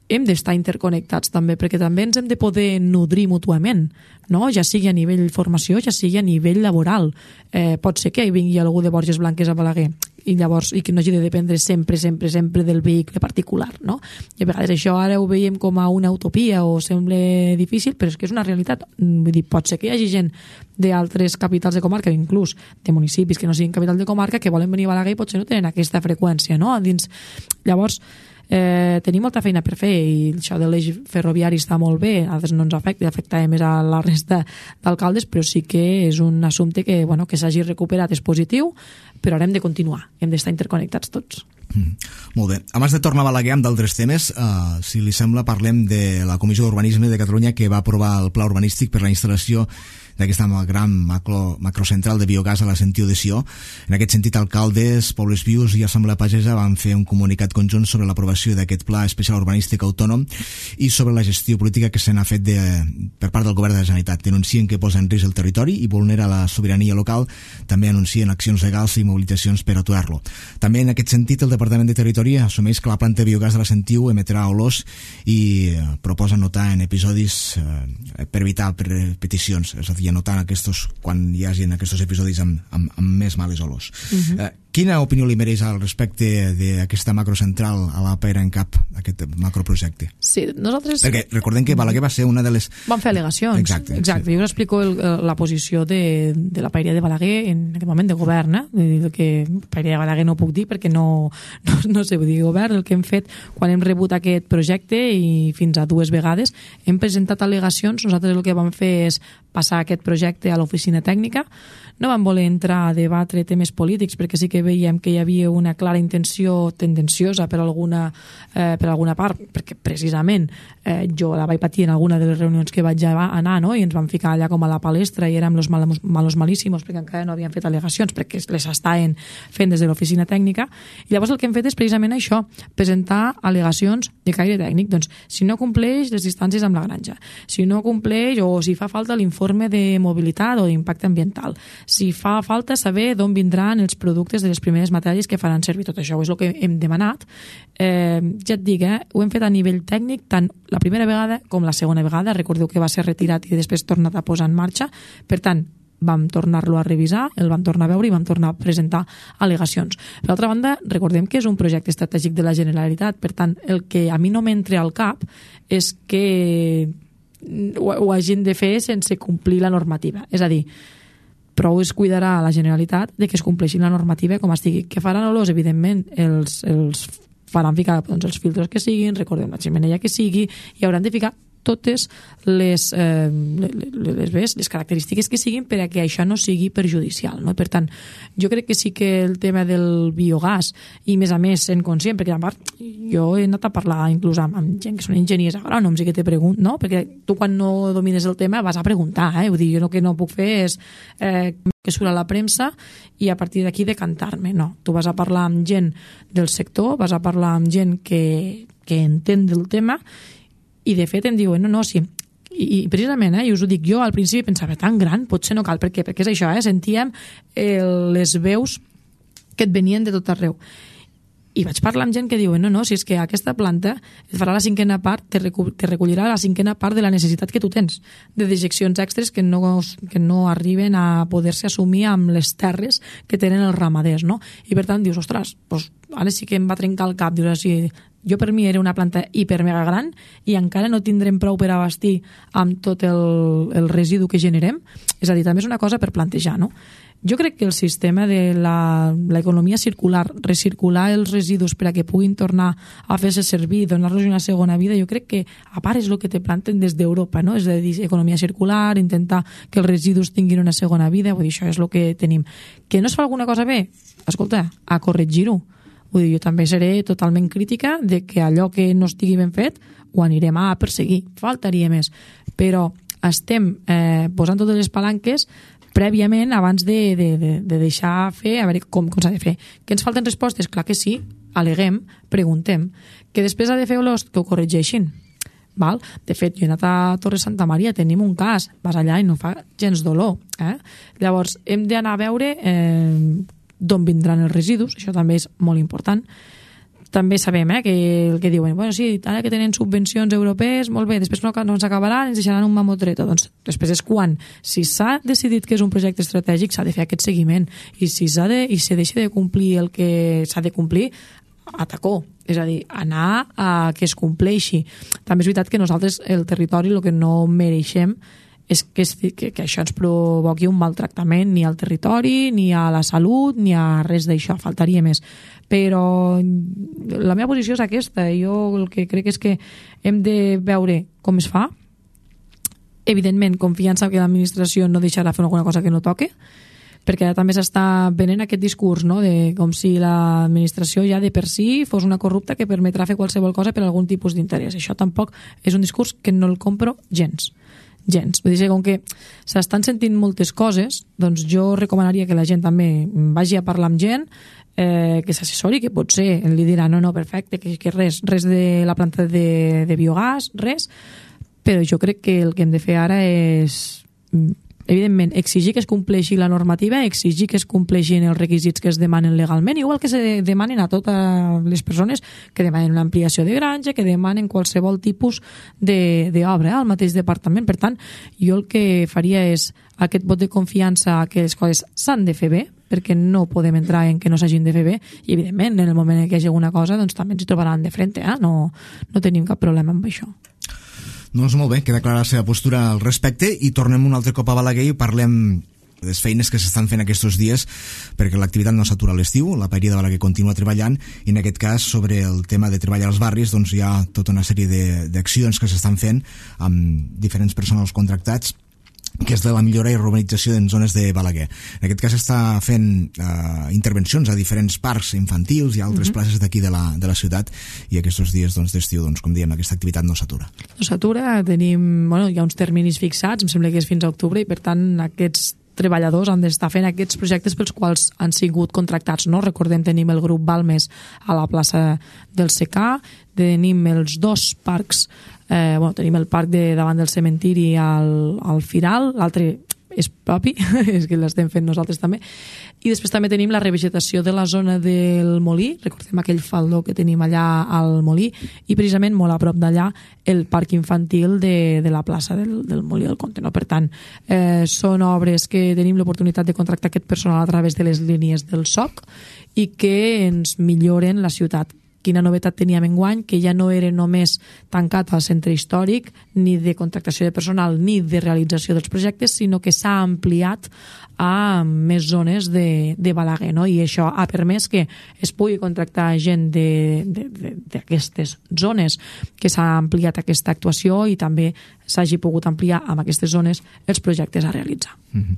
hem d'estar interconnectats també, perquè també ens hem de poder nodrir mútuament, no? Ja sigui a nivell formació, ja sigui a nivell laboral. Eh, pot ser que hi vingui algú de Borges Blanques a Balaguer i llavors i que no hagi de dependre sempre, sempre, sempre del vehicle particular, no? I a vegades això ara ho veiem com a una utopia o sembla difícil, però és que és una realitat. Vull dir, pot ser que hi hagi gent d'altres capitals de comarca, inclús de municipis que no siguin capital de comarca, que volen venir a Balaguer i potser no tenen aquesta freqüència, no? Dins, llavors, Eh, tenim molta feina per fer i això de l'eix ferroviari està molt bé, a nosaltres no ens afecta, afecta més a la resta d'alcaldes, però sí que és un assumpte que, bueno, que s'hagi recuperat és positiu, però ara hem de continuar, hem d'estar interconnectats tots. Mm, molt bé. Abans de tornar a Balaguer amb d'altres temes, uh, si li sembla parlem de la Comissió d'Urbanisme de Catalunya que va aprovar el pla urbanístic per la instal·lació d'aquesta gran macro, macrocentral de biogàs a la Sentiu de Sió. En aquest sentit, alcaldes, Pobles Vius i Assemblea Pagesa van fer un comunicat conjunt sobre l'aprovació d'aquest pla especial urbanístic autònom i sobre la gestió política que se n'ha fet de, per part del govern de la Generalitat. Denuncien que posa en risc el territori i vulnera la sobirania local. També anuncien accions legals i mobilitzacions per aturar-lo. També en aquest sentit, el Departament de Territori assumeix que la planta de biogàs de la Sentiu emetrà olors i eh, proposa anotar en episodis eh, per evitar repeticions, és a dir, anotant aquests, quan hi hagi aquests episodis amb, amb, amb més males olors. Uh-huh. eh, quina opinió li mereix al respecte d'aquesta macrocentral a la Paera en Cap, aquest macroprojecte? Sí, nosaltres... Perquè recordem que Balaguer va ser una de les... Van fer al·legacions. Exacte. Exacte. Sí. Jo us explico el, la posició de, de la Paeria de Balaguer en aquest moment de govern, eh? Que Paeria de Balaguer no puc dir perquè no, no, no sé, vull dir govern, el que hem fet quan hem rebut aquest projecte i fins a dues vegades hem presentat al·legacions. Nosaltres el que vam fer és passar aquest projecte a l'oficina tècnica. No vam voler entrar a debatre temes polítics perquè sí que veiem que hi havia una clara intenció tendenciosa per alguna, eh, per alguna part, perquè precisament eh, jo la vaig patir en alguna de les reunions que vaig anar, no? I ens vam ficar allà com a la palestra i érem los malos, malos malíssimos perquè encara no havien fet al·legacions perquè les estaven fent des de l'oficina tècnica. I llavors el que hem fet és precisament això, presentar al·legacions de caire tècnic. Doncs si no compleix les distàncies amb la granja, si no compleix o si fa falta l'informe de mobilitat o d'impacte ambiental, si fa falta saber d'on vindran els productes de les primeres matèries que faran servir. Tot això és el que hem demanat. Eh, ja et dic, eh, ho hem fet a nivell tècnic tant la primera vegada com la segona vegada. Recordeu que va ser retirat i després tornat a posar en marxa. Per tant, vam tornar-lo a revisar, el vam tornar a veure i vam tornar a presentar al·legacions. Per altra banda, recordem que és un projecte estratègic de la Generalitat. Per tant, el que a mi no m'entra al cap és que ho, ho hagin de fer sense complir la normativa. És a dir, prou es cuidarà a la Generalitat de que es compleixi la normativa com estigui. Que faran olors, evidentment, els, els faran ficar doncs, els filtres que siguin, recordem la xemeneia que sigui, i hauran de ficar totes les, eh, les, les, les característiques que siguin per a que això no sigui perjudicial, no? Per tant, jo crec que sí que el tema del biogàs, i més a més sent conscient, perquè a part jo he anat a parlar inclús amb, amb gent que són enginyers agrònoms i que te pregunten, no? Perquè tu quan no domines el tema vas a preguntar, eh? Vull dir, jo el que no puc fer és eh, que surt a la premsa i a partir d'aquí decantar-me, no. Tu vas a parlar amb gent del sector, vas a parlar amb gent que, que entén del tema i de fet em diuen, no, no, sí. I, i precisament, eh, i us ho dic, jo al principi pensava, tan gran, potser no cal, per què? Perquè és això, eh, sentíem el, les veus que et venien de tot arreu. I vaig parlar amb gent que diuen, no, no, si és que aquesta planta et farà la cinquena part, te, recu te recollirà la cinquena part de la necessitat que tu tens, de dejeccions extres que no, que no arriben a poder-se assumir amb les terres que tenen els ramaders, no? I per tant dius, ostres, doncs ara sí que em va trencar el cap, dius així, jo per mi era una planta hiper mega gran i encara no tindrem prou per abastir amb tot el, el residu que generem. És a dir, també és una cosa per plantejar, no? Jo crec que el sistema de l'economia circular, recircular els residus per a que puguin tornar a fer-se servir, donar-los una segona vida, jo crec que a part és el que te planten des d'Europa, no? És a dir, economia circular, intentar que els residus tinguin una segona vida, vull dir, això és el que tenim. Que no es fa alguna cosa bé? Escolta, a corregir-ho. Vull dir, jo també seré totalment crítica de que allò que no estigui ben fet ho anirem a perseguir, faltaria més. Però estem eh, posant totes les palanques prèviament abans de, de, de, de deixar fer, a veure com, com s'ha de fer. Que ens falten respostes? Clar que sí. aleguem, preguntem. Que després ha de fer Olost, que ho corregeixin. Val? De fet, jo he anat a Torre Santa Maria, tenim un cas, vas allà i no fa gens dolor. Eh? Llavors, hem d'anar a veure eh, d'on vindran els residus, això també és molt important. També sabem eh, que el que diuen, bueno, sí, ara que tenen subvencions europees, molt bé, després no, no s'acabaran, ens deixaran un mamotreto. Doncs després és quan, si s'ha decidit que és un projecte estratègic, s'ha de fer aquest seguiment, i si s'ha de, i si deixa de complir el que s'ha de complir, atacó, és a dir, anar a que es compleixi. També és veritat que nosaltres, el territori, el que no mereixem és que, que, que això ens provoqui un maltractament ni al territori, ni a la salut, ni a res d'això, faltaria més. Però la meva posició és aquesta. Jo el que crec és que hem de veure com es fa. Evidentment, confiança que l'administració no deixarà fer alguna cosa que no toque, perquè també s'està venent aquest discurs, no?, de com si l'administració ja de per si fos una corrupta que permetrà fer qualsevol cosa per algun tipus d'interès. Això tampoc és un discurs que no el compro gens. gens. Vull dir, com que s'estan sentint moltes coses, doncs jo recomanaria que la gent també vagi a parlar amb gent, eh, que s'assessori, que potser li dirà no, no, perfecte, que, que res, res de la planta de, de biogàs, res, però jo crec que el que hem de fer ara és, evidentment, exigir que es compleixi la normativa, exigir que es compleixin els requisits que es demanen legalment, igual que se demanen a totes les persones que demanen una ampliació de granja, que demanen qualsevol tipus d'obra eh, al mateix departament. Per tant, jo el que faria és aquest vot de confiança que les coses s'han de fer bé, perquè no podem entrar en que no s'hagin de fer bé, i evidentment, en el moment en què hi hagi alguna cosa, doncs també ens hi trobaran de frente, eh? no, no tenim cap problema amb això. Doncs molt bé, queda clara la seva postura al respecte i tornem un altre cop a Balaguer i parlem de les feines que s'estan fent aquests dies perquè l'activitat no s'atura a l'estiu, la Paeria de Balaguer continua treballant i en aquest cas sobre el tema de treballar als barris doncs hi ha tota una sèrie d'accions que s'estan fent amb diferents personals contractats que és de la millora i urbanització en zones de Balaguer. En aquest cas està fent eh, intervencions a diferents parcs infantils i a altres uh-huh. places d'aquí de, la, de la ciutat i aquests dies doncs, d'estiu, doncs, com diem, aquesta activitat no s'atura. No s'atura, tenim, bueno, hi ha uns terminis fixats, em sembla que és fins a octubre i per tant aquests treballadors han d'estar fent aquests projectes pels quals han sigut contractats, no? Recordem, tenim el grup Balmes a la plaça del Secà, tenim els dos parcs, eh, bueno, tenim el parc de davant del cementiri al, al Firal, l'altre és propi, és que l'estem fent nosaltres també, i després també tenim la revegetació de la zona del Molí, recordem aquell faldó que tenim allà al Molí, i precisament molt a prop d'allà el parc infantil de, de la plaça del, del Molí del Comte, no? Per tant, eh, són obres que tenim l'oportunitat de contractar aquest personal a través de les línies del S O C i que ens milloren la ciutat. Quina novetat teníem enguany, que ja no era només tancat al centre històric, ni de contractació de personal, ni de realització dels projectes, sinó que s'ha ampliat a més zones de, de Balaguer, no? I això ha permès que es pugui contractar gent d'aquestes zones, que s'ha ampliat aquesta actuació i també s'hagi pogut ampliar amb aquestes zones els projectes a realitzar. Mm-hmm.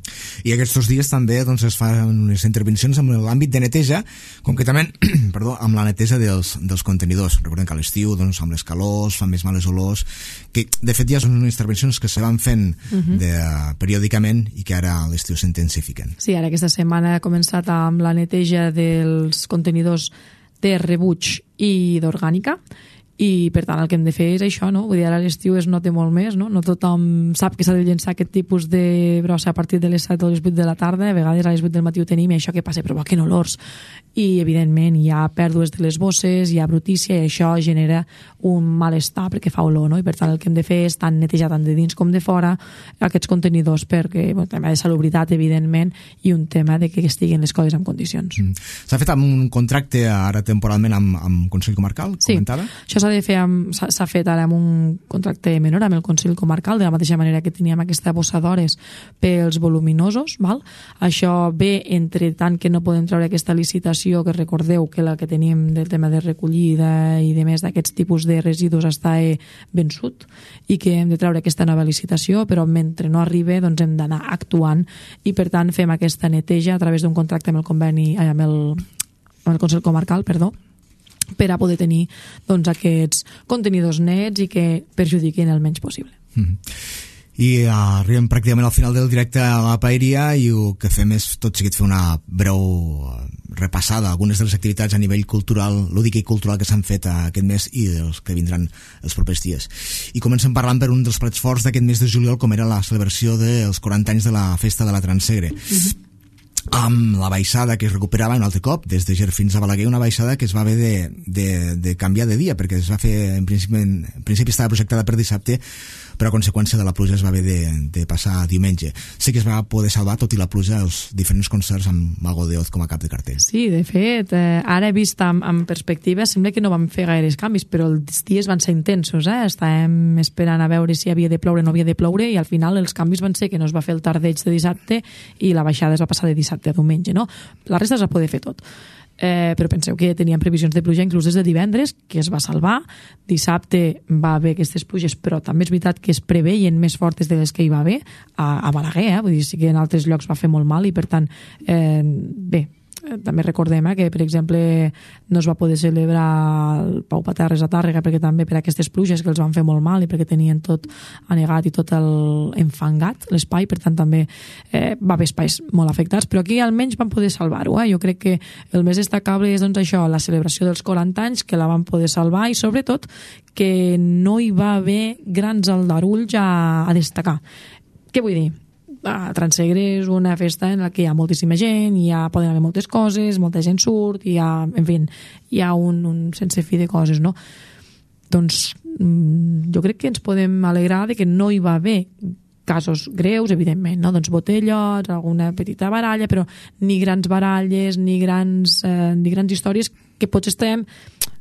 I aquests dies també doncs, es fan unes intervencions en l'àmbit de neteja, concretament perdó, amb la neteja dels, dels contenidors. Recordem que a l'estiu, doncs, amb les calors, fan més males olors, que de fet ja són unes intervencions que se van fent mm-hmm. de, uh, periòdicament i que ara a l'estiu s'intensifiquen. Sí, ara aquesta setmana ha començat amb la neteja dels contenidors de rebuig i d'orgànica, i per tant el que hem de fer és això, no? Vull dir, ara l'estiu es nota molt més, no? No tothom sap que s'ha de llençar aquest tipus de brossa a partir de les set o les vuit de la tarda, a vegades a les vuit del matí ho tenim i això que passa provoquen olors i evidentment hi ha pèrdues de les bosses, hi ha brutícia i això genera un malestar perquè fa olor, no? I per tant el que hem de fer és tant netejar tant de dins com de fora aquests contenidors perquè, bueno, tema de salubritat evidentment i un tema de que estiguin les coses en condicions. Mm. S'ha fet amb un contracte ara temporalment amb, amb Consell Comarcal, sí, comentava? Això s'ha de fer amb, s'ha fet ara amb un contracte menor amb el Consell Comarcal, de la mateixa manera que teníem aquesta bossa d'hores pels voluminosos, val? Això ve entre tant que no podem treure aquesta licitació, que recordeu que la que tenim del tema de recollida i de més d'aquests tipus de residus està vençut i que hem de treure aquesta nova licitació, però mentre no arribi doncs hem d'anar actuant i per tant fem aquesta neteja a través d'un contracte amb el conveni, amb el, amb el Consell Comarcal, perdó, per a poder tenir doncs, aquests contenidors nets i que perjudiquin el menys possible. Mm-hmm. I uh, arribem pràcticament al final del directe a la Paeria i el que fem és tot seguit fer una breu repassada algunes de les activitats a nivell cultural, lúdic i cultural que s'han fet aquest mes i dels que vindran els propers dies. I comencem parlant per un dels plats forts d'aquest mes de juliol, com era la celebració dels quaranta anys de la Festa de la Transsegre. Mm-hmm. Amb la baixada que es recuperava un altre cop des de Ger fins a Balaguer, una baixada que es va haver de, de, de canviar de dia perquè es va fer, en principi, en principi estava projectada per dissabte, però a conseqüència de la pluja es va haver de, de passar a diumenge. Sí que es va poder salvar, tot i la pluja, els diferents concerts amb Mago de Oz com a cap de cartell. Sí, de fet, eh, ara vist amb, amb perspectiva sembla que no vam fer gaires canvis, però els dies van ser intensos, eh? Estàvem esperant a veure si havia de ploure o no havia de ploure i al final els canvis van ser que no es va fer el tardeig de dissabte i la baixada es va passar de dissabte a diumenge, no? La resta es va poder fer tot. Eh, però penseu que teníem previsions de pluja inclús des de divendres, que es va salvar. Dissabte va haver aquestes pluges, però també és veritat que es preveien més fortes de les que hi va haver a, a Balaguer, eh? Vull dir, sí que en altres llocs va fer molt mal i per tant, eh, bé, també recordem eh, que per exemple no es va poder celebrar el Pau Paterres a Tàrrega perquè també per aquestes pluges que els van fer molt mal i perquè tenien tot anegat i tot el enfangat l'espai, per tant també eh, va haver espais molt afectats, però aquí almenys van poder salvar-ho, eh? Jo crec que el més destacable és doncs això, la celebració dels quaranta anys que la van poder salvar i sobretot que no hi va haver grans aldarulls a, a destacar. Què vull dir? A Transsegre és una festa en la que hi ha moltíssima gent, hi ha, poden haver moltes coses, molta gent surt, hi ha, en fi, hi ha un, un sense fi de coses, no? Doncs jo crec que ens podem alegrar de que no hi va haver casos greus, evidentment, no? Doncs botellots, alguna petita baralla, però ni grans baralles, ni grans, eh, ni grans històries que potser estem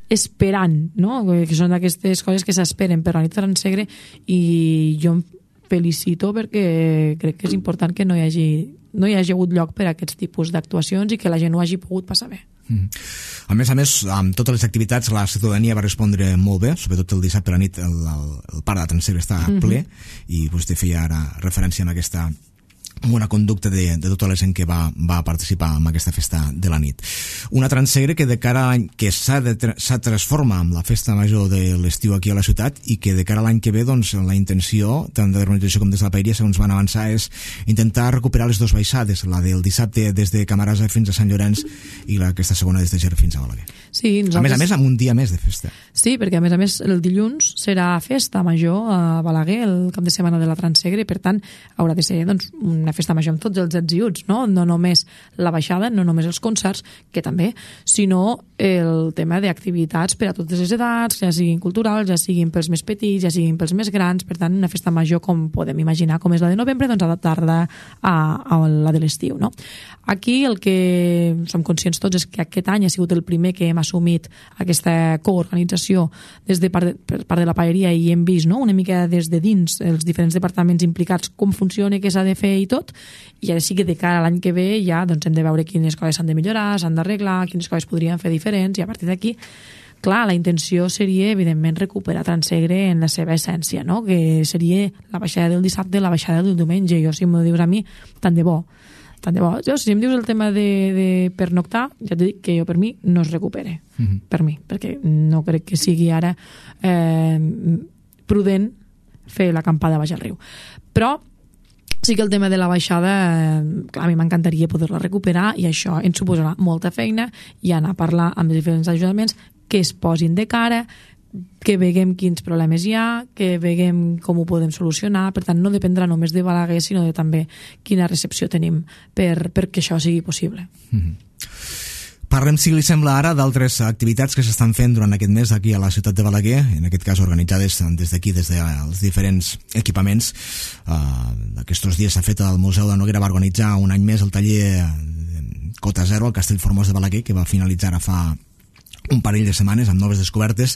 esperant, no? Que són aquestes coses que s'esperen per la nit de Transsegre i jo felicito perquè crec que és important que no hi hagi, no hi hagi hagut lloc per a aquests tipus d'actuacions i que la gent ho hagi pogut passar bé. Mm. A més a més, amb totes les activitats la ciutadania va respondre molt bé, sobretot el dissabte a la nit el, el, el parc de Transsegre està mm-hmm. ple i vostè feia ara referència a aquesta amb una conducta de, de tota la gent que va, va participar en aquesta festa de la nit. Una Transsegre que de cara a l'any que s'ha de, s'ha transforma amb la festa major de l'estiu aquí a la ciutat i que de cara a l'any que ve doncs, la intenció tant de l'organització com des de la Paeria, segons van avançar, és intentar recuperar les dues baixades, la del dissabte des de Camarasa fins a Sant Llorenç i la, aquesta segona des de Ger fins a Balaguer. Sí, nosaltres... A més a més, amb un dia més de festa. Sí, perquè a més a més el dilluns serà festa major a Balaguer, el cap de setmana de la Transsegre, per tant haurà de ser doncs, una festa major amb tots els ets i uts, no? No només la baixada, no només els concerts, que també, sinó el tema d'activitats per a totes les edats, ja siguin culturals, ja siguin pels més petits, ja siguin pels més grans, per tant una festa major com podem imaginar com és la de novembre, doncs adaptar-la a, a la de l'estiu, no? Aquí el que som conscients tots és que aquest any ha sigut el primer que hem assumit aquesta coorganització des de part de, per part de la Paeria i hem vist, no? Una mica des de dins els diferents departaments implicats com funciona, què s'ha de fer i tot, i ara sí que de cara a l'any que ve ja doncs, hem de veure quines coses s'han de millorar, s'han d'arreglar, quines coses podrien fer diferents, i a partir d'aquí, clar, la intenció seria, evidentment, recuperar Transsegre en la seva essència, no? Que seria la baixada del dissabte, la baixada del diumenge. Jo, si m'ho dius a mi, tant de bo. Tant de bo. Jo, si em dius el tema de, de pernoctar, ja t'he dit que jo per mi no es recupere. Mm-hmm. Per mi, perquè no crec que sigui ara eh, prudent fer l'acampada baix al riu. Però sí que el tema de la baixada, eh, clar, a mi m'encantaria poder-la recuperar i això ens suposarà molta feina i anar a parlar amb els diferents ajuntaments que es posin de cara, que veguem quins problemes hi ha, que veguem com ho podem solucionar. Per tant, no dependrà només de Balaguer, sinó de també quina recepció tenim per, perquè això sigui possible. Mm-hmm. Parlem, si li sembla ara, d'altres activitats que s'estan fent durant aquest mes aquí a la ciutat de Balaguer, en aquest cas organitzades des d'aquí, des dels diferents equipaments. Uh, aquests dies s'ha fet al Museu de Noguera, va organitzar un any més el taller Cota Zero al Castell Formós de Balaguer, que va finalitzar a fa un parell de setmanes amb noves descobertes.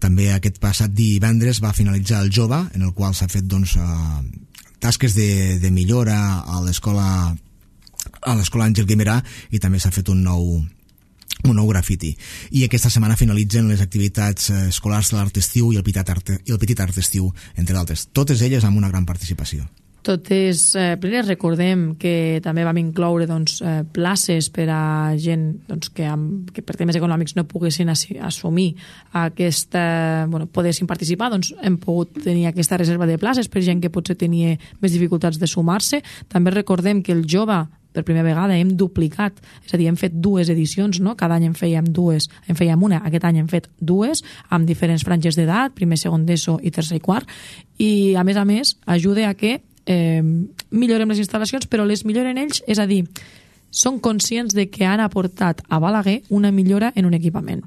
També aquest passat divendres va finalitzar el Jove, en el qual s'ha fet doncs, uh, tasques de, de millora a l'escola a l'escola Àngel Guimerà i també s'ha fet un nou un nou grafiti. I aquesta setmana finalitzen les activitats escolars de l'Art Estiu i el Petit Art, i el Petit Art Estiu, entre d'altres. Totes elles amb una gran participació. Totes eh, plenes. Recordem que també vam incloure doncs, eh, places per a gent doncs, que, amb, que per temes econòmics no poguessin assumir aquesta, bueno, poguessin participar, doncs hem pogut tenir aquesta reserva de places per gent que potser tenia més dificultats de sumar-se. També recordem que el jove per primera vegada hem duplicat, és a dir, hem fet dues edicions, no? Cada any en fèiem dues, en fèiem una, aquest any hem fet dues, amb diferents franges d'edat, primer, segon d'ESO i tercer i quart, i a més a més ajuda a que eh, millorem les instal·lacions, però les milloren ells, és a dir, són conscients de que han aportat a Balaguer una millora en un equipament.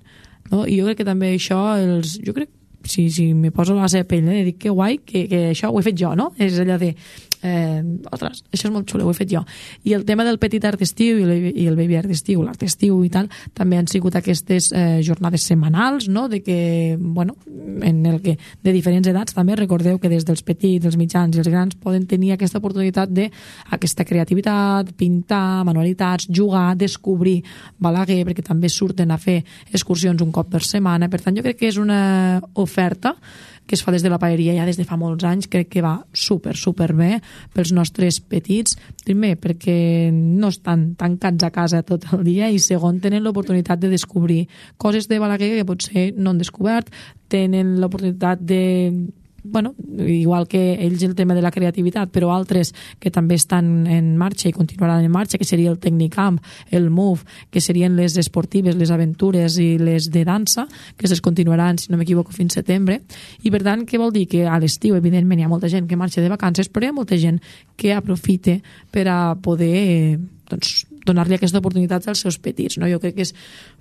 No? I jo crec que també això, els, jo crec, si, si me poso la seva pell, eh, dic que guai, que, que això ho he fet jo, no? És allò de Eh, ostres, això és molt xulo, ho he fet jo. I el tema del petit art estiu i el, i el baby art estiu, l'art estiu i tal, també han sigut aquestes eh, jornades setmanals, no? De que, bueno, en el que de diferents edats també recordeu que des dels petits, els mitjans i els grans poden tenir aquesta oportunitat de aquesta creativitat, pintar, manualitats, jugar, descobrir Balaguer, perquè també surten a fer excursions un cop per setmana. Per tant, jo crec que és una oferta que es fa des de la paeria ja des de fa molts anys, crec que va super, super bé pels nostres petits, primer perquè no estan tancats a casa tot el dia i segon tenen l'oportunitat de descobrir coses de Balaguer que potser no han descobert, tenen l'oportunitat de bueno, igual que ells el tema de la creativitat, però altres que també estan en marxa i continuaran en marxa, que seria el Tecnicamp, el Move, que serien les esportives, les aventures i les de dansa, que es continuaran, si no m'equivoco, fins setembre. I per tant, què vol dir? Que a l'estiu, evidentment, hi ha molta gent que marxa de vacances, però hi ha molta gent que aprofita per a poder doncs, donar-li aquesta oportunitat als seus petits. No? Jo crec que és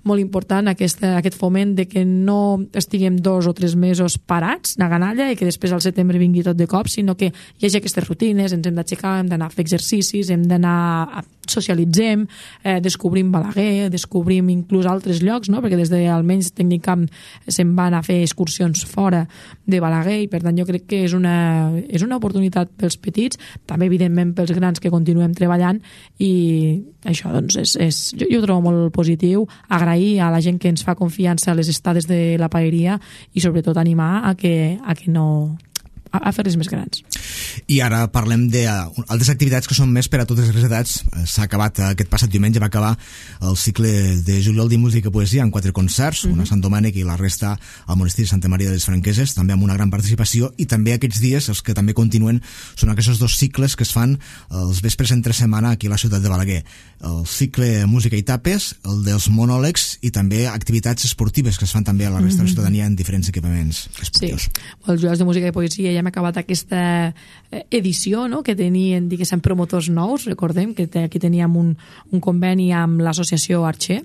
molt important aquesta, aquest foment de que no estiguem dos o tres mesos parats, na ganalla, i que després al setembre vingui tot de cop, sinó que hi hagi aquestes rutines, ens hem d'aixecar, hem d'anar a fer exercicis, hem d'anar, socialitzem, eh, descobrim Balaguer, descobrim inclús altres llocs, no? Perquè des de almenys Tecnicamp se'n van a fer excursions fora de Balaguer i per tant jo crec que és una, és una oportunitat pels petits, també evidentment pels grans que continuem treballant i això doncs és, és, jo, jo ho trobo molt positiu, agrair a la gent que ens fa confiança a les estades de la paeria i sobretot animar a que, a que no a fer-les més grans. I ara parlem d'altres activitats que són més per a totes les edats. S'ha acabat, aquest passat diumenge va acabar el cicle de juliol de música i poesia amb quatre concerts, uh-huh. una a Sant Domènec i la resta al monestir de Santa Maria de les Franqueses, també amb una gran participació, i també aquests dies, els que també continuen, són aquests dos cicles que es fan els vespres entre setmana aquí a la ciutat de Balaguer. El cicle Música i Tapes, el dels monòlegs i també activitats esportives que es fan també a la resta uh-huh. de la ciutadania en diferents equipaments esportius. Sí, els juliol de música i poesia ja hem acabat aquesta edició, no?, que tenien, diguéssim, promotors nous. Recordem que aquí teníem un, un conveni amb l'associació Arxer,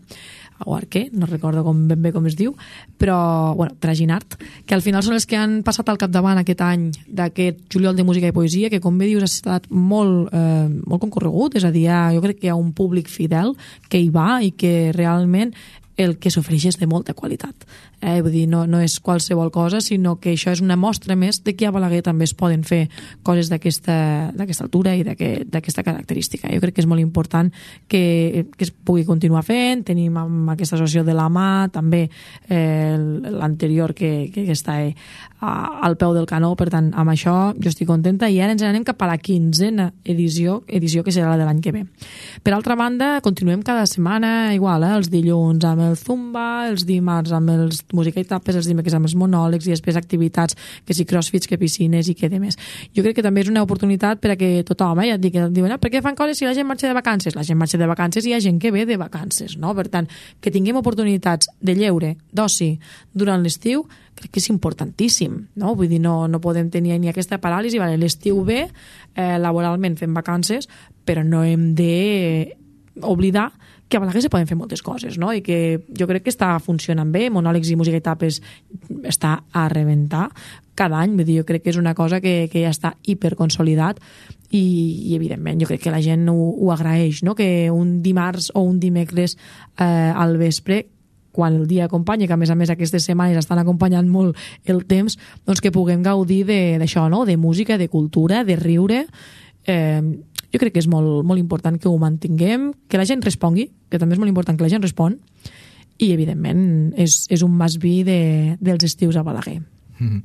o Arquer, no recordo com, ben bé com es diu, però, bueno, Traginart, que al final són els que han passat al capdavant aquest any d'aquest juliol de música i poesia, que, com bé dius, ha estat molt, eh, molt concorregut, és a dir, jo crec que hi ha un públic fidel que hi va i que realment el que s'ofereix és de molta qualitat. Eh? Vull dir, no, no és qualsevol cosa, sinó que això és una mostra més de que a Balaguer també es poden fer coses d'aquesta altura i d'aquesta característica. Jo crec que és molt important que, que es pugui continuar fent. Tenim amb aquesta associació de la mà, també eh, l'anterior que, que està eh, al peu del canó, per tant, amb això jo estic contenta i ara ens anem cap a la quinzena edició, edició que serà la de l'any que ve. Per altra banda, continuem cada setmana igual, eh, els dilluns amb el Zumba, els dimarts amb els música i tapes, els dimecres amb els monòlegs i després activitats, que si crossfits, que piscines i que de més. Jo crec que també és una oportunitat per a que tothom, eh, ja et dic, diuen, ah, per què fan coses si la gent marxa de vacances? La gent marxa de vacances i hi ha gent que ve de vacances, no? Per tant, que tinguem oportunitats de lleure, d'oci, durant l'estiu, crec que és importantíssim, no? Vull dir, no, no podem tenir ni aquesta paràlisi, vale, l'estiu ve, eh, laboralment fem vacances, però no hem de oblidar que a Balaguer se poden fer moltes coses, no? I que jo crec que està funcionant bé, monòlegs i música i tapes està a rebentar cada any, vull dir, jo crec que és una cosa que, que ja està hiperconsolidat i, i evidentment jo crec que la gent ho, ho agraeix, no? Que un dimarts o un dimecres eh, al vespre, quan el dia acompanya, que a més a més aquestes setmanes estan acompanyant molt el temps, doncs que puguem gaudir d'això, no? De música, de cultura, de riure. Eh, jo crec que és molt, molt important que ho mantinguem, que la gent respongui, que també és molt important que la gent respon, i evidentment és, és un must be de, dels estius a Balaguer. Mm-hmm.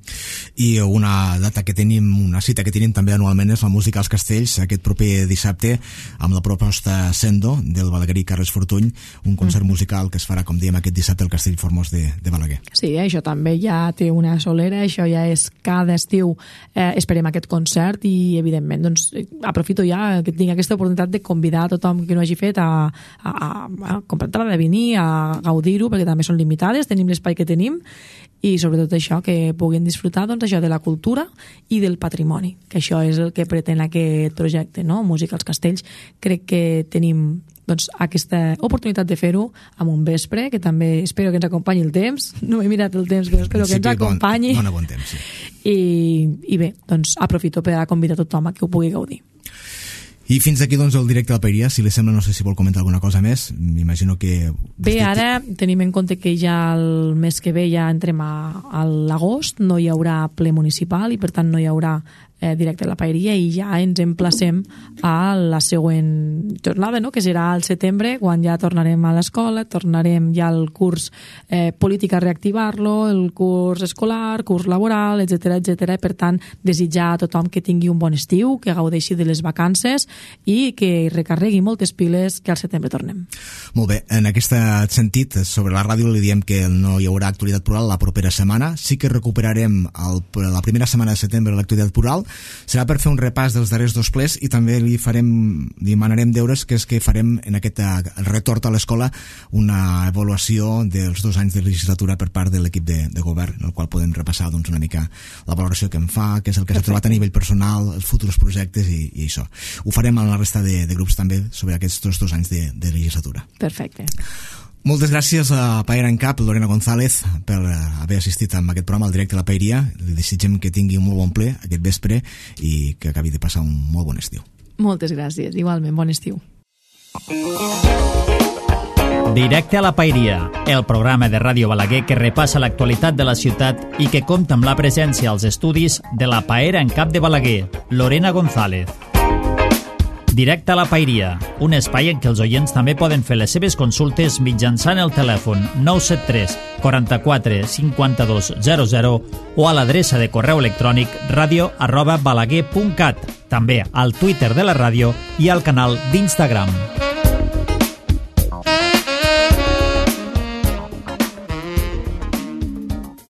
I una data que tenim, una cita que tenim també anualment és la música als Castells, aquest proper dissabte, amb la proposta Sendo del balaguerí Carles Fortuny, un concert mm. musical que es farà, com dèiem, aquest dissabte al Castell Formós de, de Balaguer. Sí, això també ja té una solera, això ja és cada estiu, eh, esperem aquest concert i, evidentment, doncs, aprofito ja que tinc aquesta oportunitat de convidar a tothom que no hagi fet a, a, a, a comprar entrada, a venir, a gaudir-ho, perquè també són limitades, tenim l'espai que tenim, i sobretot això, que puguin disfrutar doncs, això de la cultura i del patrimoni, que això és el que pretén aquest projecte, no? Música als Castells. Crec que tenim doncs, aquesta oportunitat de fer-ho amb un vespre, que també espero que ens acompanyi el temps. No m'he mirat el temps, però espero que ens acompanyi. Bon, bon temps, sí. I, I bé, doncs aprofito per a convidar tothom a que ho pugui gaudir. I fins aquí doncs el directe a la Paeria. Si li sembla, no sé si vol comentar alguna cosa més. M'imagino que... Bé, ara tenim en compte que ja el mes que ve ja entrem a, a l'agost, no hi haurà ple municipal i per tant no hi haurà eh, directe a la Paeria, i ja ens emplacem a la següent jornada, no? Que serà al setembre, quan ja tornarem a l'escola, tornarem ja al curs eh, polític a reactivar-lo, el curs escolar, curs laboral, etcètera, etcètera. Per tant, desitjar a tothom que tingui un bon estiu, que gaudeixi de les vacances i que recarregui moltes piles, que al setembre tornem. Molt bé, en aquest sentit, sobre la ràdio li diem que no hi haurà actualitat plural la propera setmana. Sí que recuperarem el, la primera setmana de setembre l'actualitat plural. Serà per fer un repàs dels darrers dos plers i també li farem, li demanarem deures, que és que farem en aquest retorn a l'escola una avaluació dels dos anys de legislatura per part de l'equip de, de govern, en el qual podem repassar doncs, una mica la valoració que en fa, què és el que s'ha trobat a nivell personal, els futurs projectes i, i això. Ho farem amb la resta de, de grups també sobre aquests dos, dos anys de, de legislatura. Perfecte. Moltes gràcies a Paera en Cap, Lorena González, per haver assistit a aquest programa al directe a la Paeria. Li desitgem que tingui un molt bon ple aquest vespre i que acabi de passar un molt bon estiu. Moltes gràcies, igualment, bon estiu. Directe a la Paeria, el programa de Ràdio Balaguer que repassa l'actualitat de la ciutat i que compta amb la presència als estudis de la Paera en Cap de Balaguer, Lorena González. Directe a la Paeria, un espai en què els oients també poden fer les seves consultes mitjançant el telèfon nou set tres, quaranta-quatre, cinquanta-dos, zero zero o a l'adreça de correu electrònic radio arroba balaguer punt cat, també al Twitter de la ràdio i al canal d'Instagram.